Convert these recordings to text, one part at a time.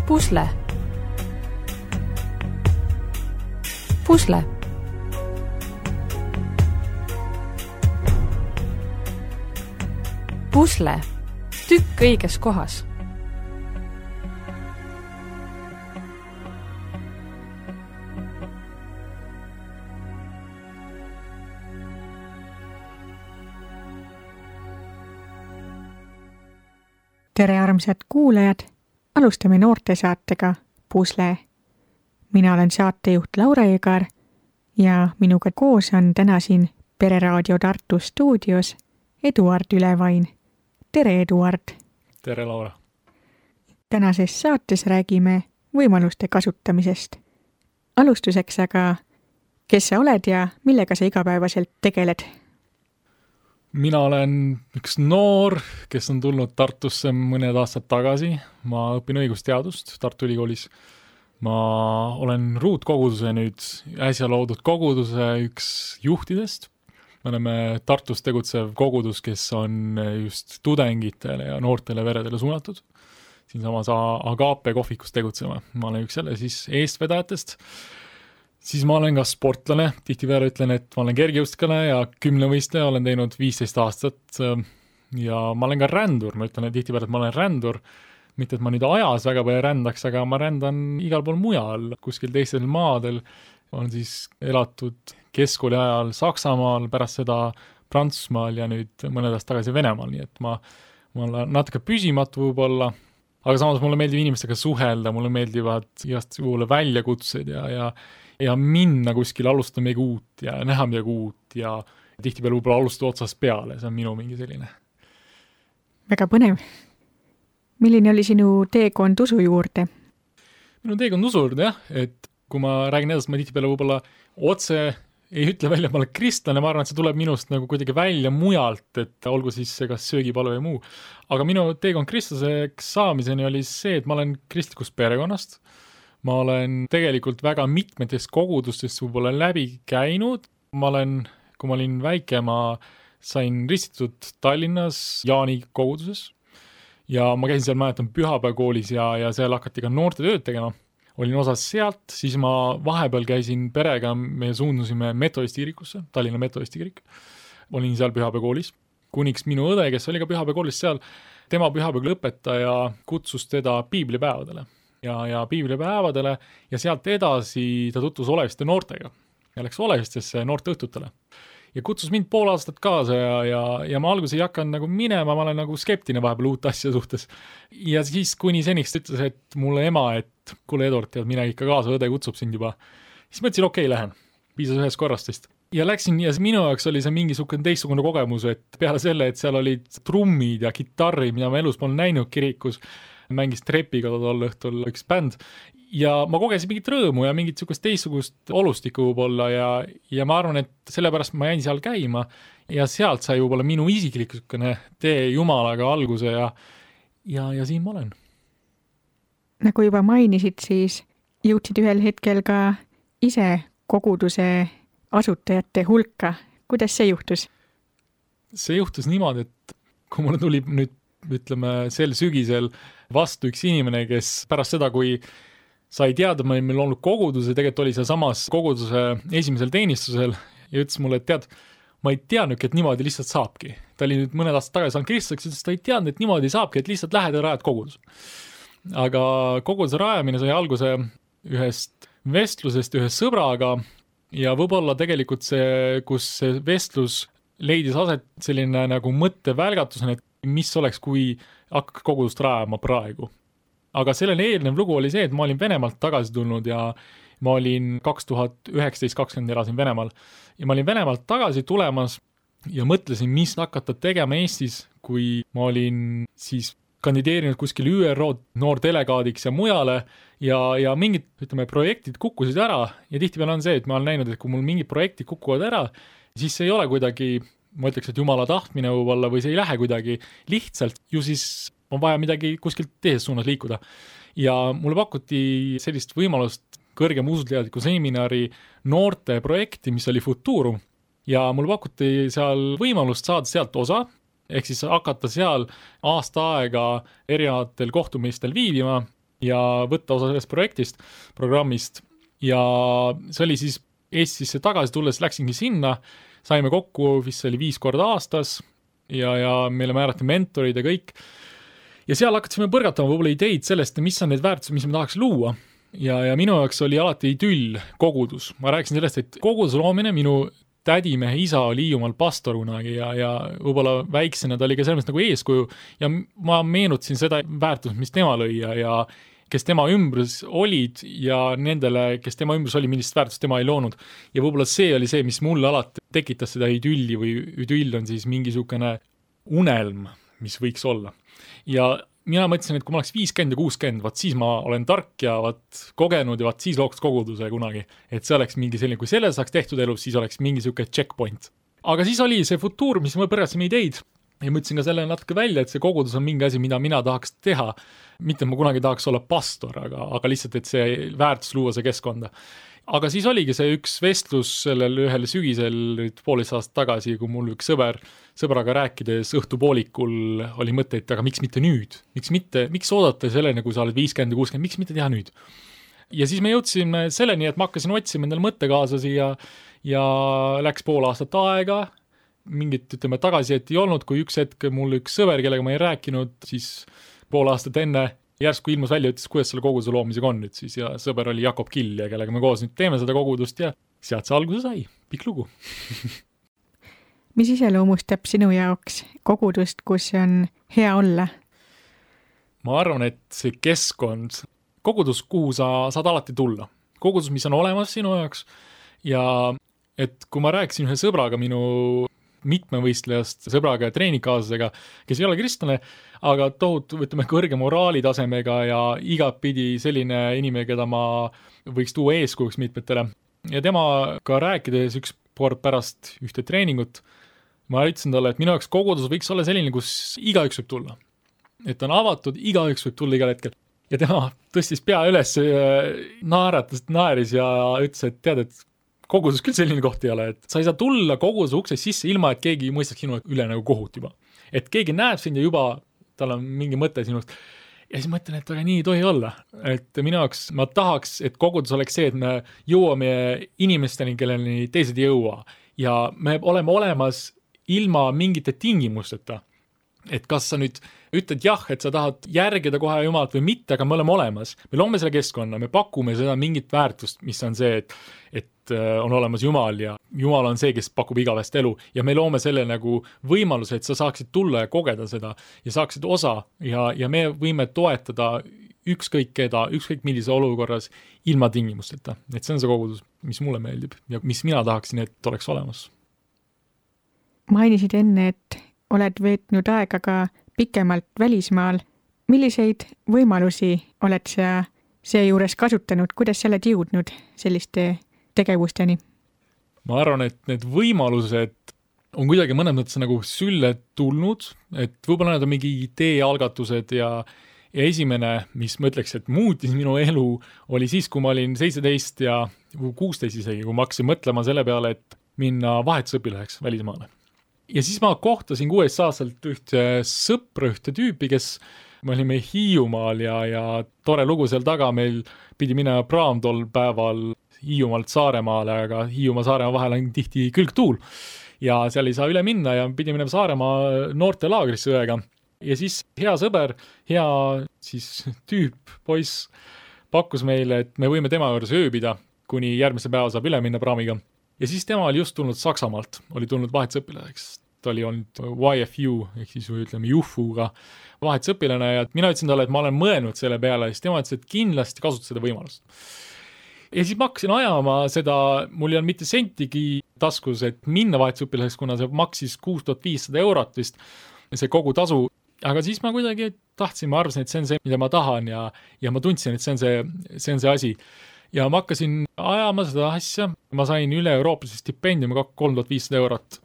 Pusle. Pusle. Pusle. Tükk õiges kohas. Tere armsad kuulajad, alustame noortesaatega Pusle. Mina olen saatejuht Laura Egar ja minuga koos on täna siin Pereraadio Tartu stuudios Eduard Ülevain. Tere Eduard! Tere Laura! Tänases saates räägime võimaluste kasutamisest. Alustuseks aga, kes sa oled ja millega sa igapäevaselt tegeled? Mina olen üks noor, kes on tulnud Tartusse mõned aastad tagasi. Ma õpin õigusteadust Tartu Ülikoolis. Ma olen ruutkoguduse nüüd äsja loodud koguduse üks juhtidest. Me oleme Tartus tegutsev kogudus, kes on just tudengitele ja noortele veredele suunatud. Siinsamas Agape kohvikus tegutsema. Ma olen üks selle siis eestvedajatest. Siis ma olen ka sportlane, tihtipeale ütlen, et ma olen kergejõustikane ja 10-võistleja, olen teinud 15 aastat ja ma olen ka rändur, ma ütlen tihtipeale, et ma olen rändur, mitte et ma nüüd ajas väga palju rändaks, aga ma rändan igal pool mujal, kuskil teistel maadel, olen siis elatud keskkooli ajal Saksamaal, pärast seda Prantsusmaal ja nüüd mõned aastad tagasi Venemaal, nii et ma olen natuke püsimatu võib-olla, aga samas mulle meeldib inimestega suhelda, mulle meeldivad igast juhule väljakutsed ja minna kuskil alustada midagi uut ja näha midagi uut ja tihtipeale võib-olla alustada otsast peale, see on minu mingi selline. Väga põnev. Milline oli sinu teekond usu juurde? Minu teekond usu juurde, jah, et kui ma räägin edasi, ma tihtipeale võib-olla otse ei ütle välja, et ma olen kristlane, ma arvan, et see tuleb minust nagu kuidagi välja mujalt, et olgu siis see kas söögipalu või muu. Aga minu teekond kristlaseks saamiseni oli see, et ma olen kristlikust perekonnast. Ma olen tegelikult väga mitmetest kogudustest võib-olla läbi käinud. Kui ma olin väike, ma sain ristitud Tallinnas Jaani koguduses ja ma käisin seal, mäletan, pühapäevakoolis ja seal hakati ka noorte tööd tegema. Olin osas sealt, siis ma vahepeal käisin perega, me suundusime metodisti kirikusse, Tallinna metodisti kirik. Olin seal pühapäevakoolis, kuniks minu õde, kes oli ka pühapäevakoolis seal, tema pühapäevalõpetaja kutsus teda piiblipäevadele. Ja piiblipäevadele ja sealt edasi ta tutvus Oleviste noortega ja läks Olevistesse noorte õhtutele. Ja kutsus mind pool aastat kaasa ja ma alguses ei hakanud nagu minema, ma olen nagu skeptine vahepeal uut asja suhtes. Ja siis kuni seniks ütles, et mulle ema, et kuule Eduard, tead, mine ikka kaasa, õde kutsub sind juba. Siis mõtlesin, okei, lähen. Piisas ühest korrastest. Ja läksin ja minu jaoks oli see mingisugune teistsugune kogemus, et peale selle, et seal olid trummid ja kitarri, mida ma elus polnud näinud kirikus, mängis trepiga tol õhtul üks bänd ja ma kogesin mingit rõõmu ja mingit teistsugust olustikku võib-olla ja ma arvan, et sellepärast ma jäin seal käima ja sealt sai võib-olla minu isiklik tee Jumalaga alguse ja siin ma olen. Nagu juba mainisid, siis jõudsid ühel hetkel ka ise koguduse asutajate hulka. Kuidas see juhtus? See juhtus niimoodi, et kui mulle tuli nüüd ütleme sel sügisel vastu üks inimene, kes pärast seda, kui sai teada, et meil olnud koguduse, tegelikult oli see samas koguduse esimesel teenistusel ja ütles mulle, et tead, ma ei teadnudki, et niimoodi lihtsalt saabki. Ta oli nüüd mõned aastad tagasi saanud kristlaseks, ütles, et ta ei teadnud, et niimoodi saabki, et lihtsalt lähed ja rajad kogudus. Aga koguduse rajamine sai alguse ühest vestlusest ühe sõbraga ja võib-olla tegelikult see, kus see vestlus leidis aset selline nagu mõttevälgatusena, et mis oleks, kui hakkaks kogudust rajama praegu. Aga sellele eelnev lugu oli see, et ma olin Venemaalt tagasi tulnud ja ma olin 2019-2020 elasin Venemaal. Ja ma olin Venemaalt tagasi tulemas ja mõtlesin, mis hakata tegema Eestis, kui ma olin siis kandideerinud kuskil ÜRO noordelegaadiks ja mujale ja mingid, projektid kukkusid ära ja tihtipeale on see, et ma olen näinud, et kui mul mingid projektid kukuvad ära, siis see ei ole kuidagi ma ütleks, et Jumala tahtmine võib-olla või see ei lähe kuidagi lihtsalt, ju siis on vaja midagi kuskilt teises suunas liikuda. Ja mulle pakuti sellist võimalust kõrgem usuteadliku seminari noorte projekti, mis oli Futurum. Ja mulle pakuti seal võimalust saada sealt osa, ehk siis hakata seal aasta aega erinevatel kohtumistel viibima ja võtta osa sellest programmist ja see oli siis Eestisse tagasi tulles, läksingi sinna, saime kokku, vist see oli 5 korda aastas ja meile määrati mentorid ja kõik. Ja seal hakkasime põrgatama võib-olla ideid sellest, mis on need väärtused, mis me tahaks luua. Ja minu jaoks oli alati idüll kogudus. Ma rääkisin sellest, et koguduse loomine, minu tädimehe isa oli Hiiumaal pastor kunagi ja võib-olla väiksena ta oli ka selles nagu eeskuju ja ma meenutasin seda väärtust, mis tema lõi ja kes tema ümbrus olid ja nendele, kes tema ümbrus oli, millist väärtust tema ei loonud. Ja võib-olla see oli see, mis mulle alati tekitas seda idülli või idüll on siis mingisugune unelm, mis võiks olla. Ja mina mõtlesin, et kui ma oleks 50 ja 60, vaat siis ma olen tark ja vaat kogenud ja vaat siis looks koguduse kunagi. Et see oleks mingi selline, kui selle saaks tehtud elus, siis oleks mingi selline checkpoint. Aga siis oli see futuur, mis me põrgasime ideid ja mõtlesin ka selle natuke välja, et see kogudus on mingi asi, mida mina tahaks teha. Mitte ma kunagi tahaks olla pastor, aga lihtsalt, et see väärtus luua see keskkonda. Aga siis oligi see üks vestlus sellel ühel sügisel 1,5 aastat tagasi, kui mul üks sõbraga rääkides õhtupoolikul oli mõte, et aga miks mitte nüüd? Miks oodata selleni, kui sa oled 50 ja 60, miks mitte teha nüüd? Ja siis me jõudsime selleni, et ma hakkasin otsima endale mõttekaaslasi ja läks 5 aastat aega, mingit, ütleme, tagasisidet ei olnud, kui üks hetk mul üks sõber, kellega ma ei rääkinud, siis 5 aastat enne järsku ilmus välja, ütles, kuidas selle koguduse loomisega on nüüd siis ja sõber oli Jakob Kill ja kellega me koos nüüd teeme seda kogudust ja sealt see alguse sai, pikk lugu. Mis iseloomustab sinu jaoks kogudust, kus on hea olla? Ma arvan, et see keskkond, kogudus, kuhu sa saad alati tulla. Kogudus, mis on olemas sinu jaoks ja et kui ma rääkisin ühe sõbraga minu mitmevõistlejast sõbraga ja treeningkaaslasega, kes ei ole kristlane, aga tohutu, ütleme, kõrge moraalitasemega ja igapidi selline inimene, keda ma võiks tuua eeskujuks mitmetele. Ja temaga rääkides üks kord pärast ühte treeningut, ma ütlesin talle, et minu jaoks kogudus võiks olla selline, kus igaüks võib tulla. Et on avatud, igaüks võib tulla igal hetkel. Ja tema tõstis pea üles, naeris ja ütles, et tead, et kogudus küll selline koht ei ole, et sa ei saa tulla koguduse uksest sisse ilma, et keegi mõistaks sinu üle nagu kohut juba. Et keegi näeb sind ja juba tal on mingi mõte sinust. Ja siis mõtlen, et aga nii ei tohi olla. Et minu jaoks ma tahaks, et kogudus oleks see, et me jõuame inimesteni, kelleni teised ei jõua. Ja me oleme olemas ilma mingite tingimusteta. Et kas sa nüüd ütled jah, et sa tahad järgida kohe Jumalat või mitte, aga me oleme olemas. Me loome selle keskkonna, me pakume seda mingit väärtust, mis on see, et on olemas Jumal ja Jumal on see, kes pakub igavest elu ja me loome selle nagu võimaluse, et sa saaksid tulla ja kogeda seda ja saaksid osa ja me võime toetada ükskõik keda, ükskõik millise olukorras ilma tingimusteta. Et see on see kogudus, mis mulle meeldib ja mis mina tahaksin, et oleks olemas. Mainisid enne, et oled veetnud aega ka pikemalt välismaal. Milliseid võimalusi oled sa seejuures kasutanud? Kuidas sa oled jõudnud selliste tegevusteni? Ma arvan, et need võimalused on kuidagi mõnes mõttes nagu sülle tulnud, et võib-olla need on mingi ideealgatused ja esimene, mis ma ütleks, et muutis minu elu, oli siis, kui ma olin 17 ja 16 isegi, kui ma hakkasin mõtlema selle peale, et minna vahetusõpilaheks välismaale. Ja siis ma kohtasin 16 aastalt ühte sõpra, ühte tüüpi, kes me olime Hiiumaal ja tore lugu seal taga, meil pidi minema praam tol päeval Hiiumaalt Saaremaale, aga Hiiumaa Saaremaa vahel on tihti külgtuul ja seal ei saa üle minna ja pidi minema Saaremaa noorte laagrisse õega. Ja siis hea sõber, hea siis tüüp, poiss pakkus meile, et me võime tema juures ööbida, kuni järgmise päeva saab üle minna praamiga. Ja siis tema oli just tulnud Saksamaalt, oli tulnud vahetusõpilaheks. Ta oli olnud YFU, ehk siis ütleme Jufuga vahetusõpilane ja mina ütlesin talle, et ma olen mõelnud selle peale ja siis tema ütles, et kindlasti kasuta seda võimalust. Ja siis ma hakkasin ajama seda, mul ei olnud mitte sentigi taskus, et minna vahetusõpilaheks, kuna see maksis 6500 eurot vist, see kogu tasu. Aga siis ma kuidagi tahtsin, ma arvasin, et see on see, mida ma tahan ja ma tundsin, et see on see asi. Ja ma hakkasin ajama seda asja, ma sain üle Eurooplase stipendiumi 3500 eurot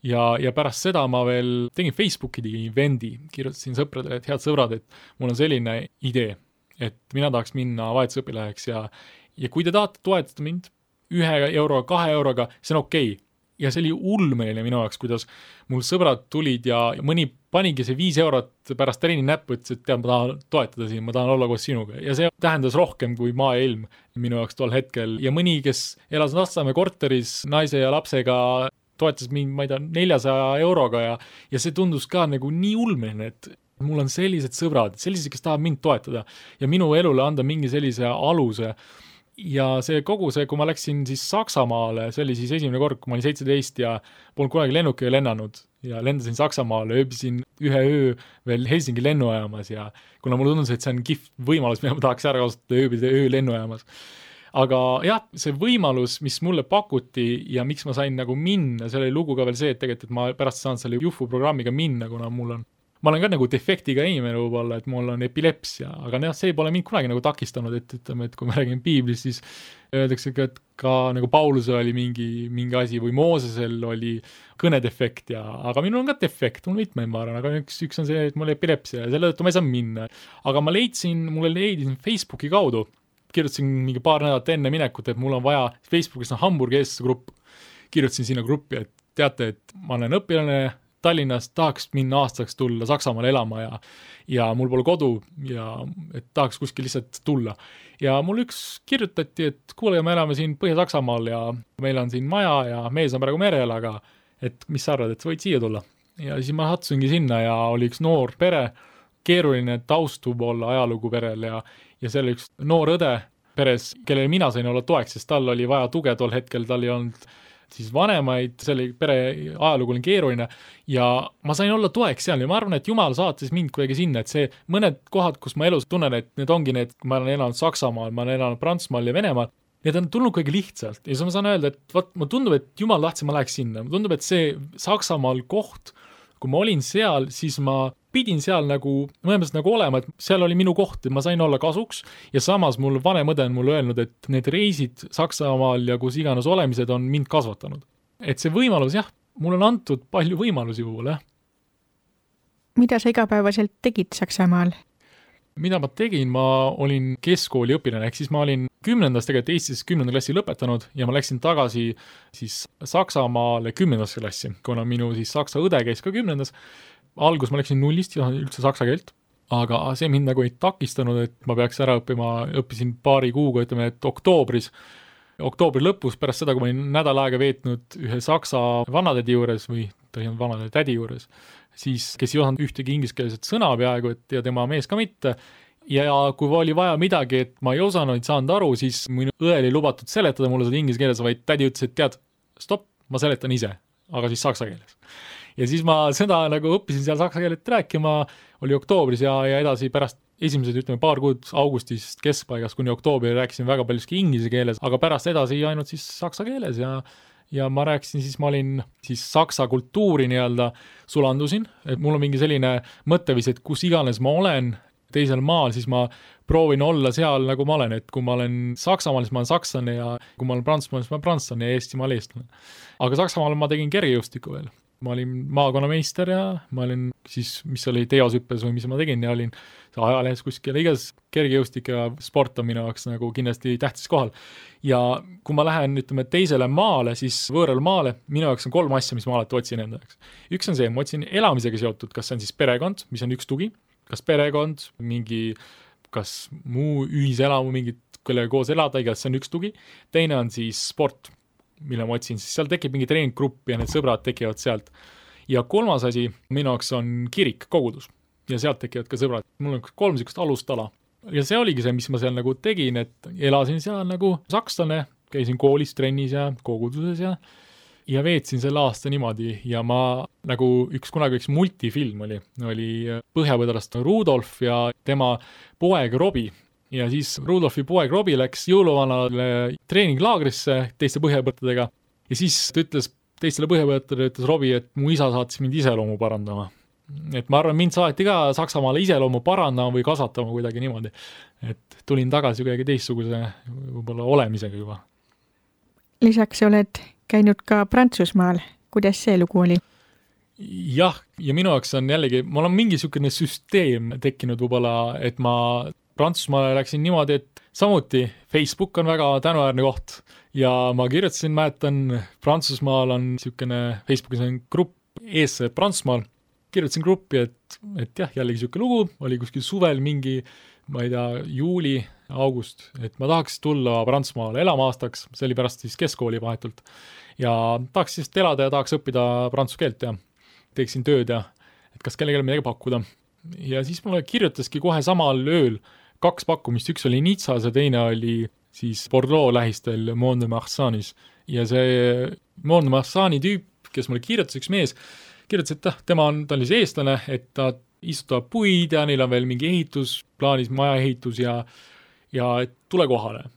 ja pärast seda ma veel tegin Facebooki evendi, kirjutasin sõpradele, et head sõbrad, et mul on selline idee, et mina tahaks minna vahetusõpilaheks ja kui te tahate toetada mind 1 euro, 2 euroga, see on okei. ja see oli ulmeline minu jaoks, kuidas mul sõbrad tulid ja mõni panigi see 5 eurot pärast treeni näppu, ütles, et tead, ma tahan toetada siin, ma tahan olla koos sinuga. Ja see tähendas rohkem kui maa ja ilm minu jaoks tol hetkel. Ja mõni, kes elas Lasnamäe korteris naise ja lapsega, toetas mind, ma ei tea, 400 euroga ja see tundus ka nagu nii ulmeline, et mul on sellised sõbrad, sellised, kes tahavad mind toetada ja minu elule anda mingi sellise aluse. Ja see kogu see, kui ma läksin siis Saksamaale, see oli siis esimene kord, kui ma olin 17 ja polnud kunagi lennukiga lennanud ja lendasin Saksamaale, ööbisin 1 öö veel Helsingi lennujaamas ja kuna mulle tundus, et see on kihvt võimalus, mida ma tahaks ära kasutada ööbida öö lennujaamas. Aga jah, see võimalus, mis mulle pakuti ja miks ma sain nagu minna, see oli lugu ka veel see, et tegelikult et ma pärast saan selle Jufu programmiga minna, kuna ma olen ka nagu defektiga inimene võib-olla, et mul on epilepsia, aga see pole mind kunagi nagu takistanud, et ütleme, et kui me räägime Piiblist, siis öeldakse ka, et ka nagu Paulusel oli mingi asi või Moosesel oli kõnedefekt aga minul on ka defekt, mul mitmeid ma arvan, aga üks on see, et mul epilepsia ja selle tõttu ma ei saa minna. Aga ma mulle leidsin Facebooki kaudu, kirjutasin mingi paar nädalat enne minekut, et mul on vaja, Facebookis on Hamburgi eestlase grupp, kirjutasin sinna gruppi, et teate, et ma olen õpilane Tallinnas, tahaks minna aastaks tulla Saksamaale elama ja mul pole kodu ja et tahaks kuskil lihtsalt tulla. Ja mul üks kirjutati, et kuule, me elame siin Põhja-Saksamaal ja meil on siin maja ja mees on praegu merel, aga et mis sa arvad, et võid siia tulla? Ja siis ma sattusingi sinna ja oli üks noor pere, keeruline taust olla ajalugu perel ja see oli üks noor õde peres, kellele mina sain olla toeks, sest tal oli vaja tuge tol hetkel, tal ei olnud siis vanemaid, selle pere ajalugu oli keeruline ja ma sain olla toeks seal ja ma arvan, et Jumal saatis mind kuidagi sinna, et see mõned kohad, kus ma elus tunnen, et need ongi need, ma olen elanud Saksamaal, ma olen elanud Prantsusmaal ja Venemaal, need on tulnud kuidagi lihtsalt ja siis ma saan öelda, et ma tundub, et Jumal tahtsi, ma läheks sinna, ma tundub, et see Saksamaal koht, kui ma olin seal, siis ma pidin seal nagu, mõlemast nagu olema, et seal oli minu koht, et ma sain olla kasuks ja samas mul vanem õde on mulle öelnud, et need reisid Saksamaal ja kus iganes olemised on mind kasvatanud. Et see võimalus, jah, mul on antud palju võimalusi puhul, jah. Mida sa igapäevaselt tegid Saksamaal? Mida ma tegin, ma olin keskkooli õpilane, ehk siis ma olin 10. tegelikult Eestis 10. klassi lõpetanud ja ma läksin tagasi siis Saksamaale 10. klassi, kuna minu siis saksa õde käis ka 10. Algus ma läksin nullist ja üldse saksa keelt, aga see mind nagu ei takistanud, et ma peaks ära õppisin paari kuuga, ütleme, et oktoobri lõpus, pärast seda, kui ma olin nädal aega veetnud ühe saksa vanatädi juures või ta ei olnud vanatädi juures, siis kes ei osanud ühtegi ingliskeelset sõna peaaegu, et ja tema mees ka mitte. Ja kui oli vaja midagi, et ma ei osanud, ei saanud aru, siis minu õel ei lubatud seletada mulle seda inglise keeles, vaid tädi ütles, et tead, stopp, ma seletan ise, aga siis saksa keeles. Ja siis ma seda nagu õppisin seal saksa keelet rääkima, oli oktoobris ja edasi pärast esimesed, ütleme, paar kuud augustist keskpaigast kuni oktoobri rääkisin väga paljuski inglise keeles, aga pärast edasi ainult siis saksa keeles ja ma rääkisin, siis ma olin siis saksa kultuuri nii-öelda sulandusin, et mul on mingi selline mõttevis, et kus iganes ma olen teisel maal, siis ma proovin olla seal, nagu ma olen, et kui ma olen Saksamaal, siis ma olen sakslane ja kui ma olen Prantsusmaal, siis ma olen prantslane ja Eestimaal eestlane. Aga Saksamaal ma tegin kergejõustiku veel. Ma olin maakonnameister ja ma olin siis, mis oli teosüppes või mis ma tegin ja olin ajalehes kuskil igas kergejõustik ja sport on minu jaoks nagu kindlasti tähtis kohal. Ja kui ma lähen, ütleme, teisele maale, siis võõral maale, minu jaoks on 3 asja, mis ma alati otsin enda jaoks. Üks on see, ma otsin elamisega seotud, kas see on siis perekond, mis on üks tugi, kas perekond, mingi, kas muu ühiselamu, mingit, kellega koos elada, igas see on üks tugi. Teine on siis sport, mille ma otsin, siis seal tekib mingi treeninggrupp ja need sõbrad tekivad sealt. Ja 3. asi minu jaoks on kirik, kogudus ja sealt tekivad ka sõbrad. Mul on 3 sükust alustala ja see oligi see, mis ma seal nagu tegin, et elasin seal nagu sakslane, käisin koolis, trennis ja koguduses ja veetsin selle aasta niimoodi ja ma nagu kunagi üks multifilm oli Põhjapõdrast Rudolf ja tema poeg Robi. Ja siis Rudolfi poeg Robi läks jõuluvanale treeninglaagrisse teiste põhjapõttadega ja siis ta ütles teistele põhjapõttadele, ütles Robi, et mu isa saatis mind iseloomu parandama. Et ma arvan, mind saati ka Saksamaale iseloomu parandama või kasvatama kuidagi niimoodi. Et tulin tagasi kuidagi teistsuguse võib-olla olemisega juba. Lisaks oled käinud ka Prantsusmaal. Kuidas see lugu oli? Jah, ja minu jaoks on jällegi, mul on mingi sükene süsteem tekkinud võib-olla, et ma Prantsusmaale läksin niimoodi, et samuti Facebook on väga tänuväärne koht ja ma kirjutasin, mäletan, Prantsusmaal on niisugune, Facebookis on grupp eestlased Prantsusmaal, kirjutasin gruppi, et jah, jällegi niisugune lugu, oli kuskil suvel mingi, ma ei tea, juuli, august, et ma tahaks tulla Prantsusmaale elama aastaks, see oli pärast siis keskkooli vahetult ja tahaks siis elada ja tahaks õppida prantsuse keelt ja teeksin tööd ja et kas kellelegi midagi pakkuda. Ja siis mulle kirjutaski kohe samal ööl 2 pakkumist, üks oli Nizzas ja teine oli siis Bordeaux lähistel Mont-de-Marsanis ja see Mont-de-Marsani tüüp, kes mulle kirjutas, üks mees, kirjutas, et ta oli see eestlane, et ta istutab puid ja neil on veel mingi ehitus, plaanis majaehitus ja et tule kohale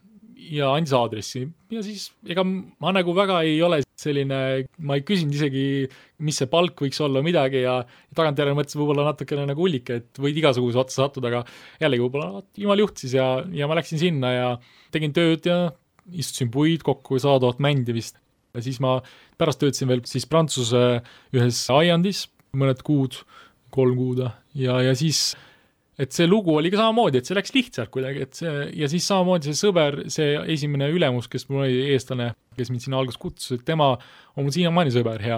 ja andis aadressi ja siis ega ma nagu väga ei ole selline, ma ei küsinud isegi, mis see palk võiks olla midagi ja tagantjärele mõtlesin võib-olla natukene nagu hullike, et võid igasuguse otsa sattuda, aga jällegi võib-olla jumal juht siis ja ma läksin sinna ja tegin tööd ja istusin puid kokku 100 000 mändi vist ja siis ma pärast töötasin veel siis Prantsuse ühes aiandis mõned kuud, 3 kuud ja siis et see lugu oli ka samamoodi, et see läks lihtsalt kuidagi, et see, ja siis samamoodi see sõber, see esimene ülemus, kes mul oli eestlane, kes mind sinna alguses kutsus, et tema on mul siiamaani sõber hea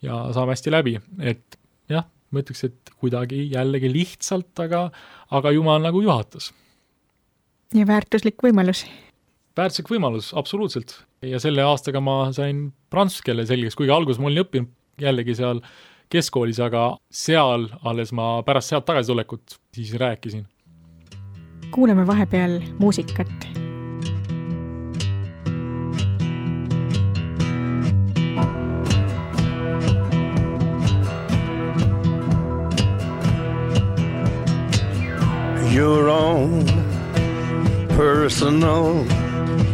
ja saame hästi läbi, et jah, ma ütleks, et kuidagi jällegi lihtsalt, aga jumal nagu juhatas. Ja väärtuslik võimalus. Väärtuslik võimalus, absoluutselt. Ja selle aastaga ma sain prantsuse keele selgeks, kuigi alguses ma olin õppinud jällegi seal keskkoolis, aga seal alles ma pärast sealt tagasi tulekut siis rääkisin. Kuuleme vahepeal muusikat. Your own personal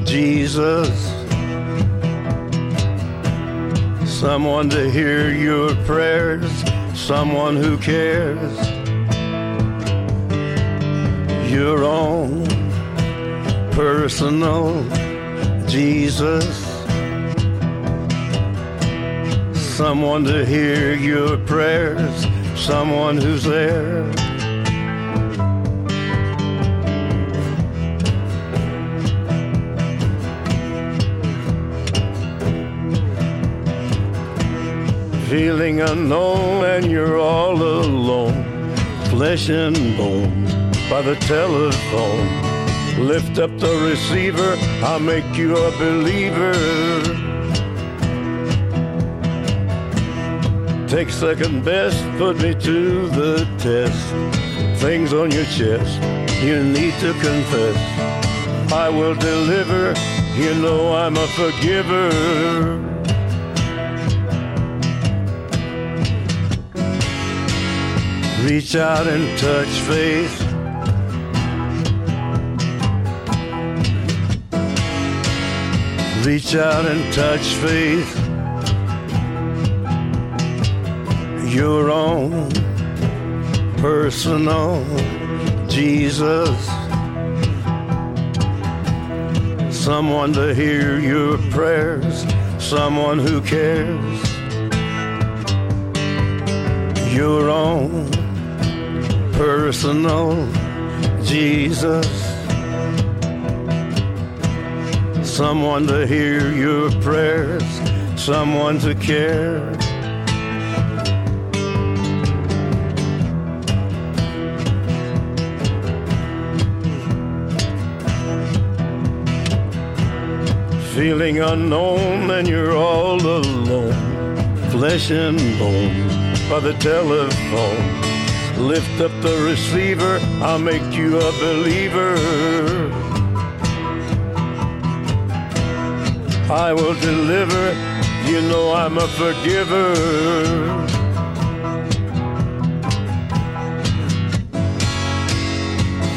Jesus, someone to hear your prayers, someone who cares. Your own personal Jesus, someone to hear your prayers, someone who's there. Feeling unknown and you're all alone, flesh and bone by the telephone. Lift up the receiver, I'll make you a believer. Take second best, put me to the test. Things on your chest, you need to confess. I will deliver, you know I'm a forgiver. Reach out and touch faith. Reach out and touch faith. Your own personal Jesus, someone to hear your prayers, someone who cares. Your own personal Jesus, someone to hear your prayers, someone to care. Feeling unknown and you're all alone, flesh and bone by the telephone. Lift up the receiver, I'll make you a believer. I will deliver, you know I'm a forgiver.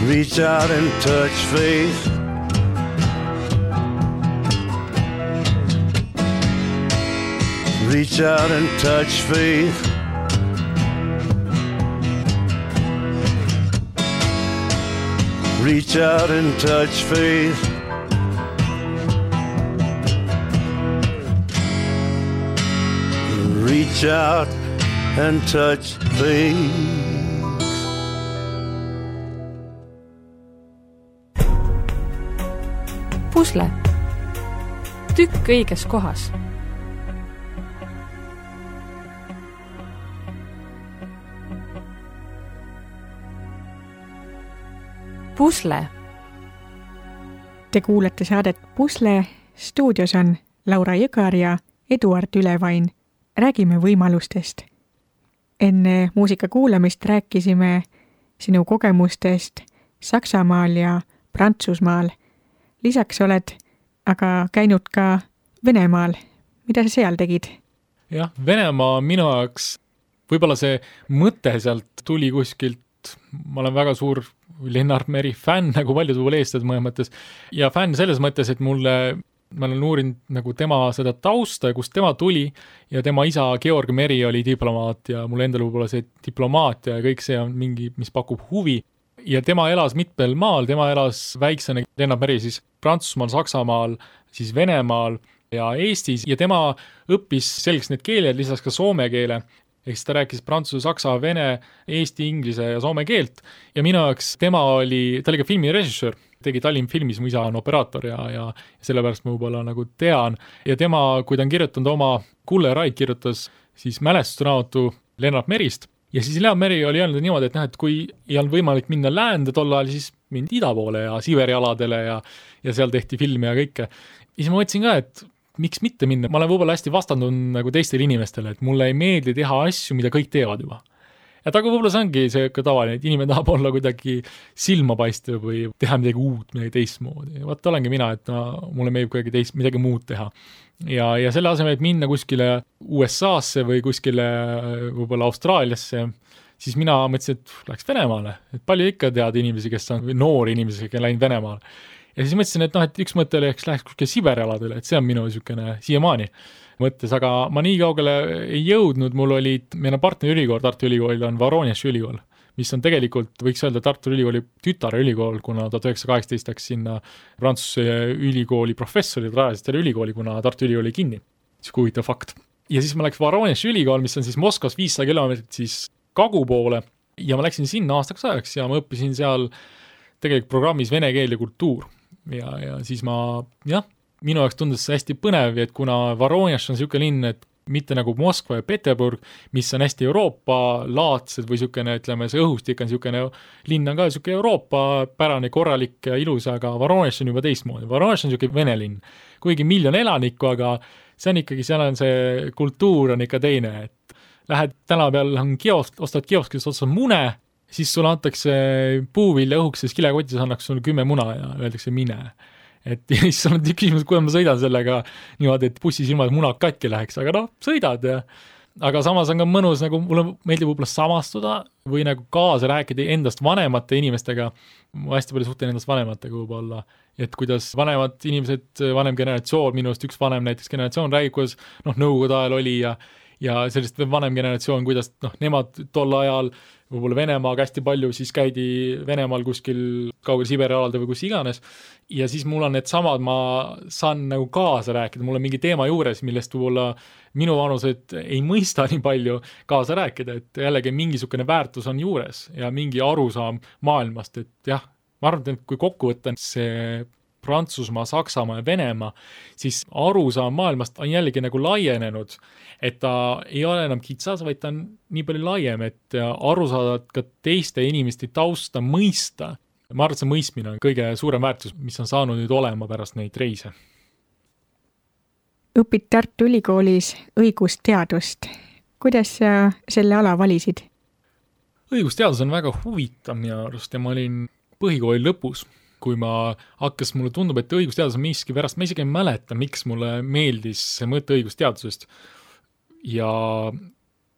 Reach out and touch faith. Reach out and touch faith. Reach out and touch faith. Reach out and touch faith. Pusle. Tükk õiges kohas. Pusle. Te kuulete saadet Pusle. Stuudios on Laura Jõgar ja Eduard Ülevain. Räägime võimalustest. Enne muusika kuulamist rääkisime sinu kogemustest Saksamaal ja Prantsusmaal. Lisaks oled aga käinud ka Venemaal. Mida sa seal tegid? Jah, Venemaa minu jaoks, võib-olla see mõte sealt tuli kuskilt, ma olen väga suur Lennart Meri fänn, nagu paljud võib-olla eestlased mõnes mõttes, ja fänn selles mõttes, et ma olen uurinud nagu tema seda tausta ja kust tema tuli ja tema isa Georg Meri oli diplomaat ja mul endal võib-olla see diplomaatia ja kõik see on mingi, mis pakub huvi. Ja tema elas mitmel maal, tema elas väiksena Lennart Meri siis Prantsusmaal, Saksamaal, siis Venemaal ja Eestis ja tema õppis selgeks need keeled, lisaks ka soome keele. Ehk siis ta rääkis prantsuse, saksa, vene, eesti, inglise ja soome keelt ja minu jaoks ta oli ka filmirežissöör, tegi Tallinn filmis, mu isa on operaator ja sellepärast ma võib-olla nagu tean ja tema, kui ta on kirjutanud oma Kulle Raid kirjutas siis mälestusraamatu Lennart Merist ja siis Lennart Meri oli öelnud niimoodi, et kui ei olnud võimalik minna läände tol ajal, siis mindi ida poole ja Siberi aladele ja seal tehti filmi ja kõike. Ja siis ma mõtlesin ka, et miks mitte minna? Ma olen võib-olla hästi vastandunud nagu teistele inimestele, et mulle ei meeldi teha asju, mida kõik teevad juba. Et aga võib-olla see ongi see tavaline, et inimene tahab olla kuidagi silma paista või teha midagi uut, midagi teistmoodi. Vaat olengi mina, et mulle meeldib kuidagi midagi muud teha. Ja selle asemel, et minna kuskile USA-sse või kuskile võib-olla Austraaliasse, siis mina mõtlesin, et läheks Venemaale. Et palju ikka tead inimesi, kes on noori inimesi, kes on läinud Venemaale. Ja siis mõtlesin, et üks mõte läheks kuskile Siberi aladele, et see on minu niisugune siiamaani mõttes, aga ma nii kaugele ei jõudnud, meil on partnerülikool, Tartu Ülikool on Voronezhi ülikool, mis on tegelikult, võiks öelda Tartu Ülikooli tütarülikool, kuna 1918 läks sinna Prantsuse ülikooli professorid rajasid selle ülikooli, kuna Tartu Ülikooli kinni. See huvitav fakt. Ja siis ma läks Voronezhi ülikool, mis on siis Moskvas 500 kilomeetrit siis kagu poole ja ma läksin sinna aastaks ajaks ja ma õppisin seal tegelikult programmis vene keel ja kultuur. Ja siis minu jaoks tundus see hästi põnev, et kuna Voronezh on niisugune linn, et mitte nagu Moskva ja Peterburg, mis on hästi Euroopa-laadsed või niisugune, ütleme, see õhustik on niisugune, linn on ka niisugune Euroopa-pärane, korralik ja ilus, aga Voronezh on juba teistmoodi. Voronezh on niisugune vene linn, kuigi 1 miljon elanikku, aga see on ikkagi, seal on see kultuur on ikka teine, et lähed täna peal, ostad kioskis otsad mune, siis sulle antakse puuvilja õhuks, siis kilekotis annaks sulle 10 muna ja öeldakse mine. Et siis on küsimus, kuidas ma sõidan sellega niimoodi, et bussis ilma, et munad katki läheks, aga sõidad ja aga samas on ka mõnus, nagu mulle meeldib võib-olla samastuda või nagu kaasa rääkida endast vanemate inimestega. Ma hästi palju suhtlen endast vanematega võib-olla, et kuidas vanemad inimesed, vanem generatsioon, minust üks vanem näiteks generatsioon räägib, kuidas nõukogude ajal oli ja sellist vanem generatsioon, kuidas nemad tol ajal võib-olla Venemaaga hästi palju, siis käidi Venemaal kuskil kaugel Siberi alalde või kus iganes ja siis mul on need samad, ma saan nagu kaasa rääkida, mul on mingi teema juures, millest võib-olla minu vanused ei mõista nii palju kaasa rääkida, et jällegi mingisugune väärtus on juures ja mingi arusaam maailmast, et jah, ma arvan, et kui kokku võtta see Prantsusmaa, Saksamaa ja Venemaa, siis arusaam maailmast on jällegi nagu laienenud, et ta ei ole enam kitsas, vaid ta on nii palju laiem, et aru saada ka teiste inimeste tausta mõista. Ma arvan, et see mõistmine on kõige suurem väärtus, mis on saanud nüüd olema pärast neid reise. Õpid Tartu Ülikoolis õigusteadust. Kuidas sa selle ala valisid? Õigusteadus on väga huvitav minu arust ja ma olin põhikooli lõpus. Kui mulle tundub, et õigusteadus on miski pärast, ma isegi ei mäleta, miks mulle meeldis see mõte õigusteadusest. Ja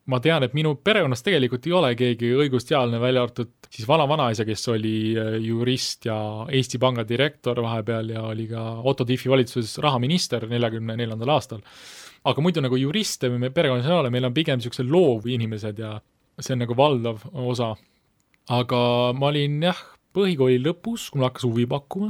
ma tean, et minu perekonnas tegelikult ei ole keegi õigusteadlane välja arvatud siis vanaisa, kes oli jurist ja Eesti Panga direktor vahepeal ja oli ka Otto Tiefi valitsuses rahaminister 44. aastal. Aga muidu nagu juriste me perekonnas ei ole, meil on pigem niisugused loov inimesed ja see on nagu valdav osa. Aga ma olin põhikooli lõpus, kui mul hakkas huvi pakkuma.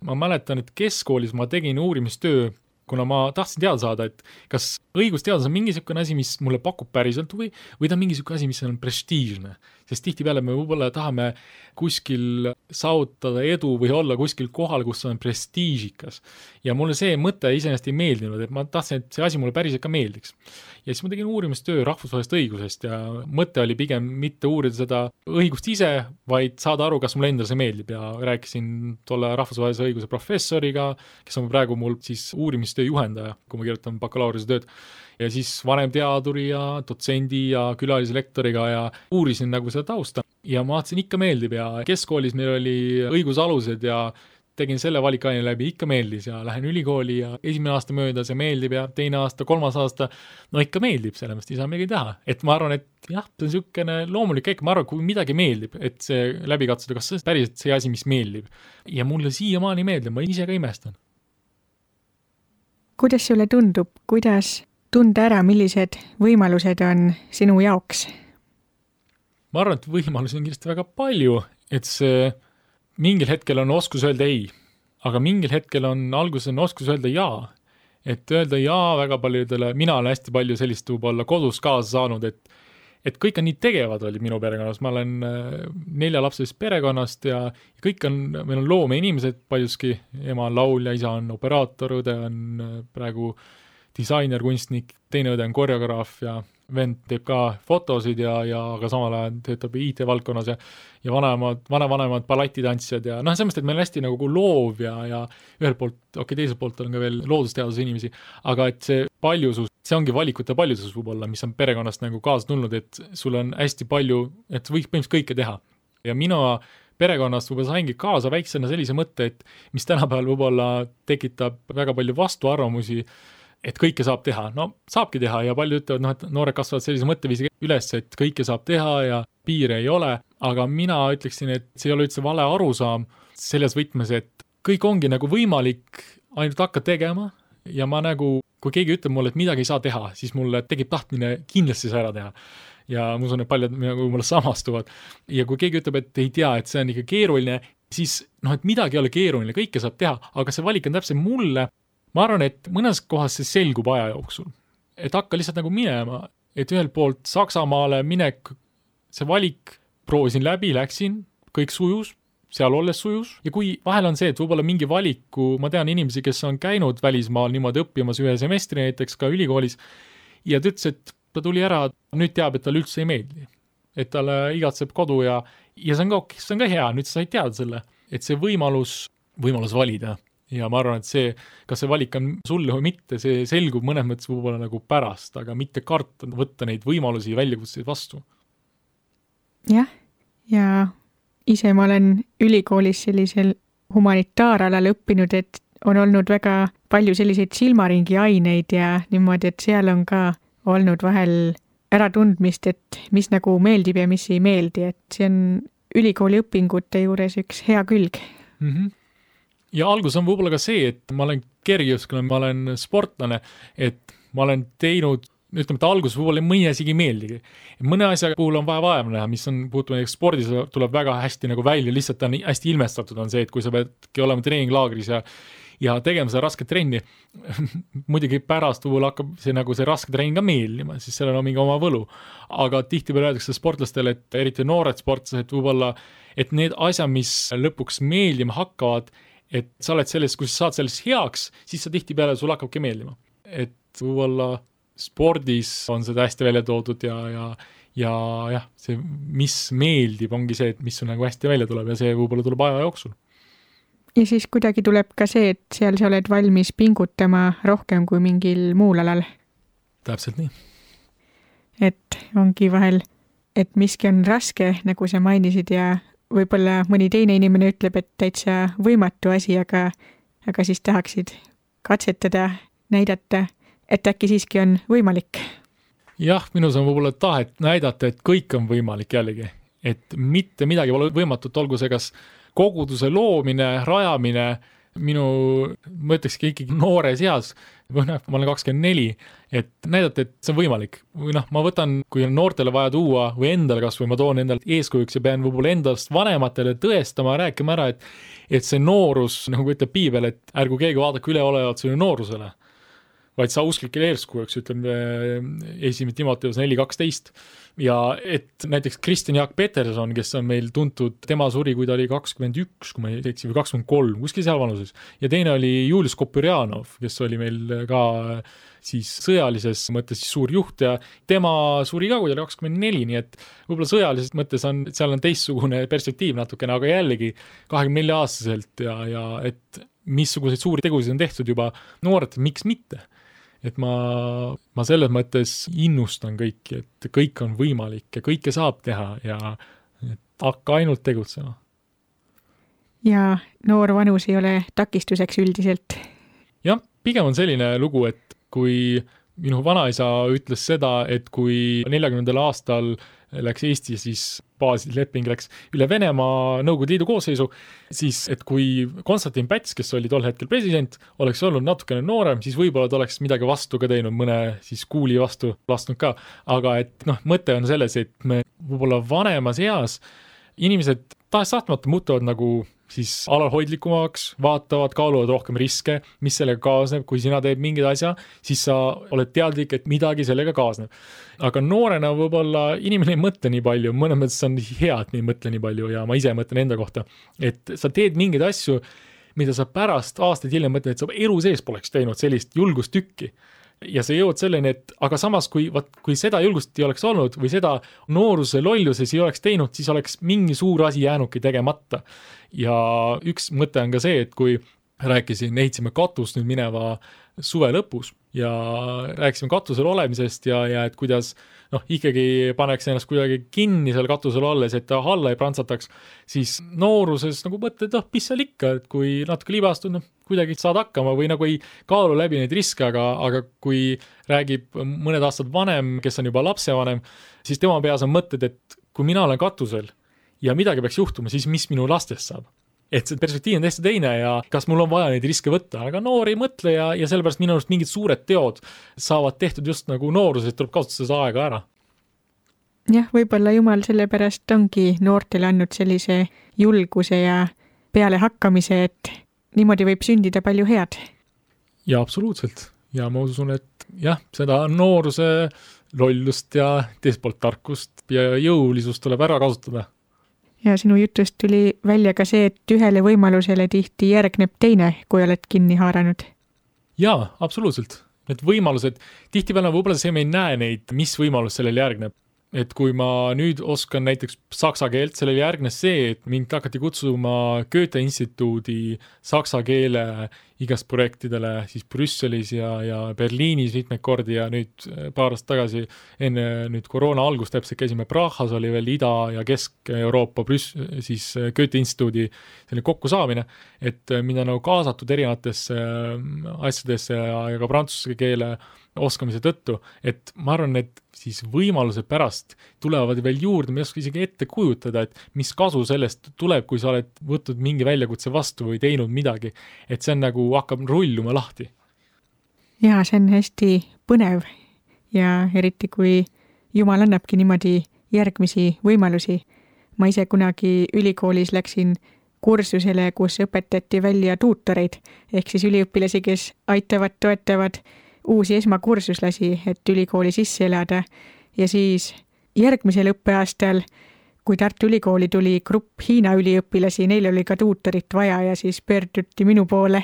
Ma mäletan, et keskkoolis ma tegin uurimistöö kuna ma tahtsin teada saada, et kas õigusteadus on mingisugune asi, mis mulle pakub päriselt või ta on mingisugune asi, mis on prestiižne. Sest tihtipeale me võib-olla tahame kuskil saavutada edu või olla kuskil kohal, kus on prestiižikas. Ja mulle see mõte iseenesest ei meeldinud, et ma tahtsin, et see asi mulle päriselt ka meeldiks. Ja siis ma tegin uurimistöö rahvusvahelisest õigusest ja mõte oli pigem mitte uurida seda õigust ise, vaid saada aru, kas mulle endale see meeldib ja rääkisin tolle rahvusvahelise õiguse professoriga, kes on praegu mul siis uurimistöö juhendaja, kui ma kirjutan bakalaureuse tööd. Ja siis vanemteaduri ja dotsendi ja külalislektoriga ja uurisin nagu seda tausta. Ja ma vaatasin, ikka meeldib ja keskkoolis meil oli õigusalused ja tegin selle valikaine läbi, ikka meeldis ja lähen ülikooli ja esimene aasta mööda see meeldib ja teine aasta, kolmas aasta, no ikka meeldib, sellepärast ei saa midagi teha. Et ma arvan, et jah, see on niisugune loomulik käik, ma arvan, kui midagi meeldib, et see läbi katsuda, kas see päriselt see asi, mis meeldib. Ja mulle siiamaani meeldib, ma ise ka imestan. Kuidas sulle tundub, kuidas tunda ära, millised võimalused on sinu jaoks? Ma arvan, et võimalusi on kindlasti väga palju, et see mingil hetkel on oskus öelda ei, aga mingil hetkel on alguses on oskus öelda jaa. Et öelda jaa väga paljudele, mina olen hästi palju sellist võib-olla kodus kaasa saanud, et kõik on nii tegevad olid minu perekonnas, ma olen 4 lapsest perekonnast ja kõik on, meil on loome inimesed paljuski, ema on laulja, isa on operaator, õde on praegu disainer, kunstnik, teine õde on koreograaf ja vend teeb ka fotosid ja aga samal ajal töötab IT-valdkonnas ja vanemad balletitantsijad ja selles mõttes, et meil on hästi nagu loov ja ühelt poolt, teiselt poolt on ka veel loodusteaduse inimesi, aga et see paljusus, see ongi valikute paljusus võib-olla, mis on perekonnast nagu kaasa tulnud, et sul on hästi palju, et võiks põhimõtteliselt kõike teha. Ja mina perekonnast võib-olla saingi kaasa väiksena sellise mõtte, et mis tänapäeval võib-olla tekitab väga palju vastuarvamusi, et kõike saab teha. No saabki teha ja palju ütlevad, et noored kasvavad sellise mõtteviisi üles, et kõike saab teha ja piire ei ole, aga mina ütleksin, et see ei ole üldse vale arusaam selles võtmes, et kõik ongi nagu võimalik, ainult hakka tegema ja ma nagu, kui keegi ütleb mulle, et midagi ei saa teha, siis mulle tekib tahtmine kindlasti see ära teha. Ja ma usun, et paljud nagu mulle samastuvad. Ja kui keegi ütleb, et ei tea, et see on ikka keeruline, siis et midagi ei ole keeruline, kõike saab teha, aga see valik on täpselt mulle. Ma arvan, et mõnes kohas see selgub aja jooksul. Et hakka lihtsalt nagu minema, et ühelt poolt Saksamaale minek, see valik proovisin läbi, läksin, kõik sujus, seal olles sujus. Ja kui vahel on see, et võib-olla mingi valiku, ma tean inimesi, kes on käinud välismaal niimoodi õppimas ühe semestri näiteks ka ülikoolis ja ta ütles, et ta tuli ära, nüüd teab, et tal üldse ei meeldi. Et talle igatseb kodu ja see on ka hea, nüüd sa said teada selle, et see võimalus valida. Ja ma arvan, et see, kas see valik on sulle või mitte, see selgub mõnes mõttes võib-olla nagu pärast, aga mitte karta võtta neid võimalusi ja väljakutseid vastu. Jah, ja ise ma olen ülikoolis sellisel humanitaaralal õppinud, et on olnud väga palju selliseid silmaringi aineid ja niimoodi, et seal on ka olnud vahel äratundmist, et mis nagu meeldib ja mis ei meeldi, et see on ülikooli õpingute juures üks hea külg. Mhm. Ja algus on võib-olla ka see, et ma olen kergejõuskline, ma olen sportlane, et ma olen teinud, ütleme, et algus võib-olla mõni asjagi meeldigi. Mõne asja puhul on vaja näha, mis on puutuma spordis, tuleb väga hästi nagu välja, lihtsalt on hästi ilmestatud on see, et kui sa peadki olema treeninglaagris ja tegema seda rasket trenni, muidugi pärast võib-olla hakkab see raske trenning ka meeldima, siis sellel on mingi oma võlu. Aga tihtipeale öeldakse sportlastele, et eriti noored sportlased võib-olla, et need asjad, mis lõpuks meeldima hakkavad, et sa oled selles, kui sa saad sellest heaks, siis sa tihtipeale sul hakkabki meeldima. Et võib-olla spordis on seda hästi välja toodud ja see, mis meeldib, ongi see, et mis sul nagu hästi välja tuleb ja see võib-olla tuleb aja jooksul. Ja siis kuidagi tuleb ka see, et seal sa oled valmis pingutama rohkem kui mingil muul alal. Täpselt nii. Et ongi vahel, et miski on raske, nagu sa mainisid ja võib-olla mõni teine inimene ütleb, et täitsa võimatu asi, aga siis tahaksid katsetada, näidata, et äkki siiski on võimalik. Jah, minus on võib-olla tahet näidata, et kõik on võimalik jällegi. Et mitte midagi pole võimatut, olgu see kas koguduse loomine, rajamine, ma ütlekski ikkagi noores eas, ma olen 24, et näidata, et see on võimalik. Või ma võtan, kui on noortele vaja tuua või endale kas või ma toon endale eeskujuks ja pean võib-olla endast vanematele tõestama, rääkima ära, et see noorus, nagu ütleb piibel, et ärgu keegi vaadake üleolevalt sinu noorusele. vaid sa usklikele eeskujaks, ütleme 1. Timoteus 4:12. Ja et näiteks Kristjan Jaak Peterson, kes on meil tuntud, tema suri, kui ta oli 21, kui ma ei eksi, või 23, kuskil seal vanuses. Ja teine oli Julius Kopyrjanov, kes oli meil ka siis sõjalises mõttes siis suur juht ja tema suri ka, kui ta oli 24, nii et võib-olla sõjalises mõttes seal on teistsugune perspektiiv natukene, aga jällegi 24-aastaselt ja et missuguseid suuri tegusid on tehtud juba noored, miks mitte? Et ma selles mõttes innustan kõiki, et kõik on võimalik ja kõike saab teha ja hakka ainult tegutsema. Ja noor vanus ei ole takistuseks üldiselt. Jah, pigem on selline lugu, et kui minu vanaisa ütles seda, et kui 40. aastal läks Eesti, siis baasleping läks üle Venemaa Nõukogude Liidu koosseisu, siis et kui Konstantin Päts, kes oli tol hetkel president, oleks olnud natukene noorem, siis võib-olla ta oleks midagi vastu ka teinud, mõne siis kuuli vastu lastnud ka. Aga et mõte on selles, et me võib-olla vanemas eas inimesed tahes-tahtmata muutuvad nagu siis alalhoidlikumaks, vaatavad, kaaluvad rohkem riske, mis sellega kaasneb, kui sina teed mingid asja, siis sa oled teadlik, et midagi sellega kaasneb. Aga noorena võib-olla inimene ei mõtle nii palju, mõnes mõttes on hea, et me ei mõtle nii palju ja ma ise mõtlen enda kohta, et sa teed mingeid asju, mida sa pärast aastaid hiljem mõtled, et sa elu sees poleks teinud sellist julgustükki. Ja sa jõuad selleni, et aga samas, kui seda julgust ei oleks olnud või seda nooruse lolluses ei oleks teinud, siis oleks mingi suur asi jäänudki tegemata. Ja üks mõte on ka see, et kui ehitsime katust nüüd mineva suve lõpus ja rääkisime katusel olemisest ja et kuidas ikkagi paneks ennast kuidagi kinni seal katusel olles, et ta alla ei prantsataks, siis nooruses nagu mõtled, mis seal ikka, et kui natuke libastud, kuidagi saad hakkama või nagu ei kaalu läbi neid riske, aga kui räägib mõned aastad vanem, kes on juba lapsevanem, siis tema peas on mõtted, et kui mina olen katusel ja midagi peaks juhtuma, siis mis minu lastest saab? Et see perspektiiv on täiesti teine ja kas mul on vaja neid riske võtta, aga noor ei mõtle ja sellepärast minu arust mingid suured teod saavad tehtud just nagu nooruses, tuleb kasutada seda aega ära. Jah, võib-olla Jumal sellepärast ongi noortele andnud sellise julguse ja peale hakkamise, et niimoodi võib sündida palju head. Ja absoluutselt. Ja ma usun, et jah, seda nooruse lollust ja teist poolt tarkust ja jõulisust tuleb ära kasutada. Ja sinu jutust tuli välja ka see, et ühele võimalusele tihti järgneb teine, kui oled kinni haaranud. Jaa, absoluutselt. Need võimalused, tihtipeale võib-olla see me ei näe neid, mis võimalus sellele järgneb. Et kui ma nüüd oskan näiteks saksa keelt, sellele järgnes see, et mind hakati kutsuma Goethe instituudi saksa keele igast projektidele siis Brüsselis ja Berliinis mitmeid kordi ja nüüd paar aastat tagasi enne nüüd koroona algust täpselt käisime Prahas, oli veel Ida- ja Kesk-Euroopa siis Goethe instituudi selline kokkusaamine, et minna nagu kaasatud erinevatesse asjadesse ja ka prantsuse keele oskamise tõttu, et ma arvan, et siis võimaluse pärast tulevad veel juurde, ma ei oska isegi ette kujutada, et mis kasu sellest tuleb, kui sa oled võtnud mingi väljakutse vastu või teinud midagi, et see on nagu hakkab rulluma lahti. Jaa, see on hästi põnev ja eriti kui Jumal annabki niimoodi järgmisi võimalusi. Ma ise kunagi ülikoolis läksin kursusele, kus õpetati välja tuutoreid, ehk siis üliõpilasi, kes aitavad, toetavad uusi esmakursuslasi, et ülikooli sisse elada ja siis järgmisel õppeaastal, kui Tartu Ülikooli tuli grupp Hiina üliõpilasi, neil oli ka tuutorit vaja ja siis pöörduti minu poole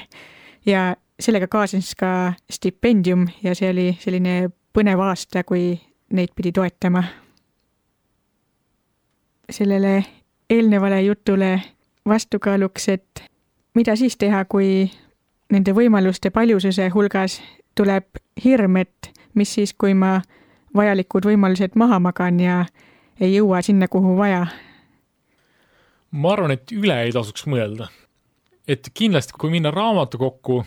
ja sellega kaasnes ka stipendium ja see oli selline põnev aasta, kui neid pidi toetama. Sellele eelnevale jutule vastukaaluks, et mida siis teha, kui nende võimaluste paljususe hulgas tuleb hirm, et mis siis, kui ma vajalikud võimalused maha magan ja ei jõua sinna, kuhu vaja? Ma arvan, et üle ei tasuks mõelda. Et kindlasti, kui minna raamatu kokku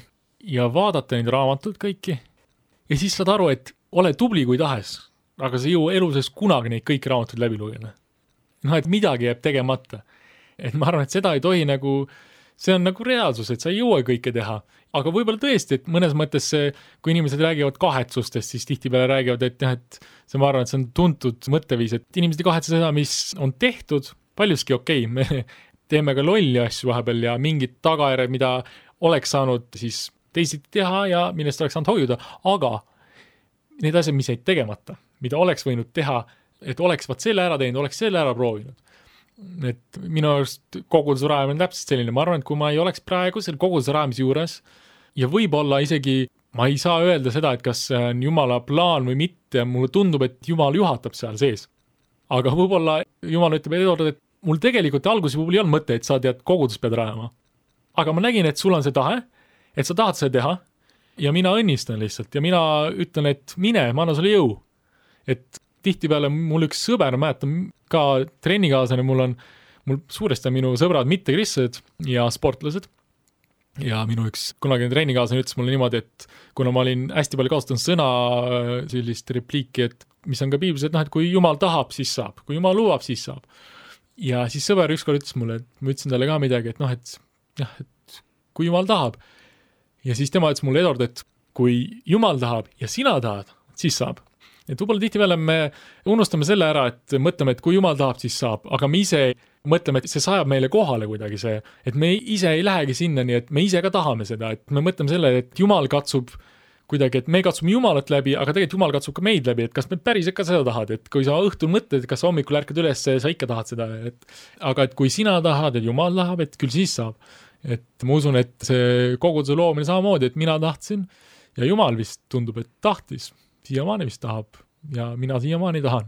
ja vaadata neid raamatuid kõiki ja siis saad aru, et ole tubli kui tahes, aga sa jõua eluses kunagi neid kõiki raamatuid läbi lugeda. Et midagi jääb tegemata. Et ma arvan, et seda ei tohi nagu, see on nagu reaalsus, et sa ei jõua kõike teha. Aga võib-olla tõesti, et mõnes mõttes see, kui inimesed räägivad kahetsustest, siis tihtipeale räägivad, et see, ma arvan, et see on tuntud mõtteviis, et inimesed ei kahetse seda, mis on tehtud, paljuski okei, me teeme ka lolli asju vahepeal ja mingid tagajärjed, mida oleks saanud siis teisiti teha ja millest oleks saanud hoiuda, aga need asjad, mis jäid tegemata, mida oleks võinud teha, et oleks vaat selle ära teinud, oleks selle ära proovinud. Et minu arust koguduse rajamine on täpselt selline, ma arvan, et kui ma ei oleks praegu selle koguduse rajamise juures ja võib-olla isegi ma ei saa öelda seda, et kas see on Jumala plaan või mitte, mulle tundub, et Jumal juhatab seal sees. Aga võib-olla Jumal ütleb, et mul tegelikult alguses võib-olla ei olnud mõte, et sa tead kogudus pead rajama. Aga ma nägin, et sul on see tahe, et sa tahad seda teha ja mina õnnistan lihtsalt ja mina ütlen, et mine, ma annan sulle jõu. Et tihtipeale mul üks sõber, mäletan ka trennikaasane, mul suuresti on minu sõbrad mittekristlased ja sportlased. Ja minu üks kunagine trennikaasane ütles mulle niimoodi, et kuna ma olin hästi palju kasutanud sõna sellist repliiki, et mis on ka piiblis, et et kui Jumal tahab, siis saab. Kui Jumal lubab, siis saab. Ja siis sõber ükskord ütles mulle, et ma ütlesin talle ka midagi, et kui Jumal tahab. Ja siis tema ütles mulle, Eduard, et kui Jumal tahab ja sina tahad, siis saab. Et võib-olla tihtipeale me unustame selle ära, et mõtleme, et kui Jumal tahab, siis saab, aga me ise mõtleme, et see sajab meile kohale kuidagi see, et me ise ei lähegi sinna, nii et me ise ka tahame seda, et me mõtleme selle, et Jumal katsub kuidagi, et me katsume Jumalat läbi, aga tegelikult Jumal katsub ka meid läbi, et kas me päriselt ka seda tahad, et kui sa õhtul mõtled, kas sa hommikul ärkad üles, sa ikka tahad seda, aga et kui sina tahad, et Jumal tahab, et küll siis saab. Et ma usun, et see koguduse loomine samamoodi, et mina tahtsin ja Jumal vist tundub, et tahtis. Siiamaani vist tahab ja mina siiamaani tahan.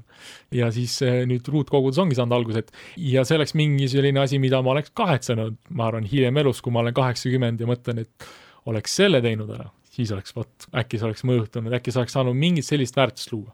Ja siis nüüd ruutkogudus ongi saanud algused. Ja see oleks mingi selline asi, mida ma oleks kahetsenud, ma arvan, hiljem elus, kui ma olen 80 ja mõtlen, et oleks selle teinud ära. Siis oleks, äkki see oleks mõjutunud, äkki see oleks saanud mingit sellist väärtust luua.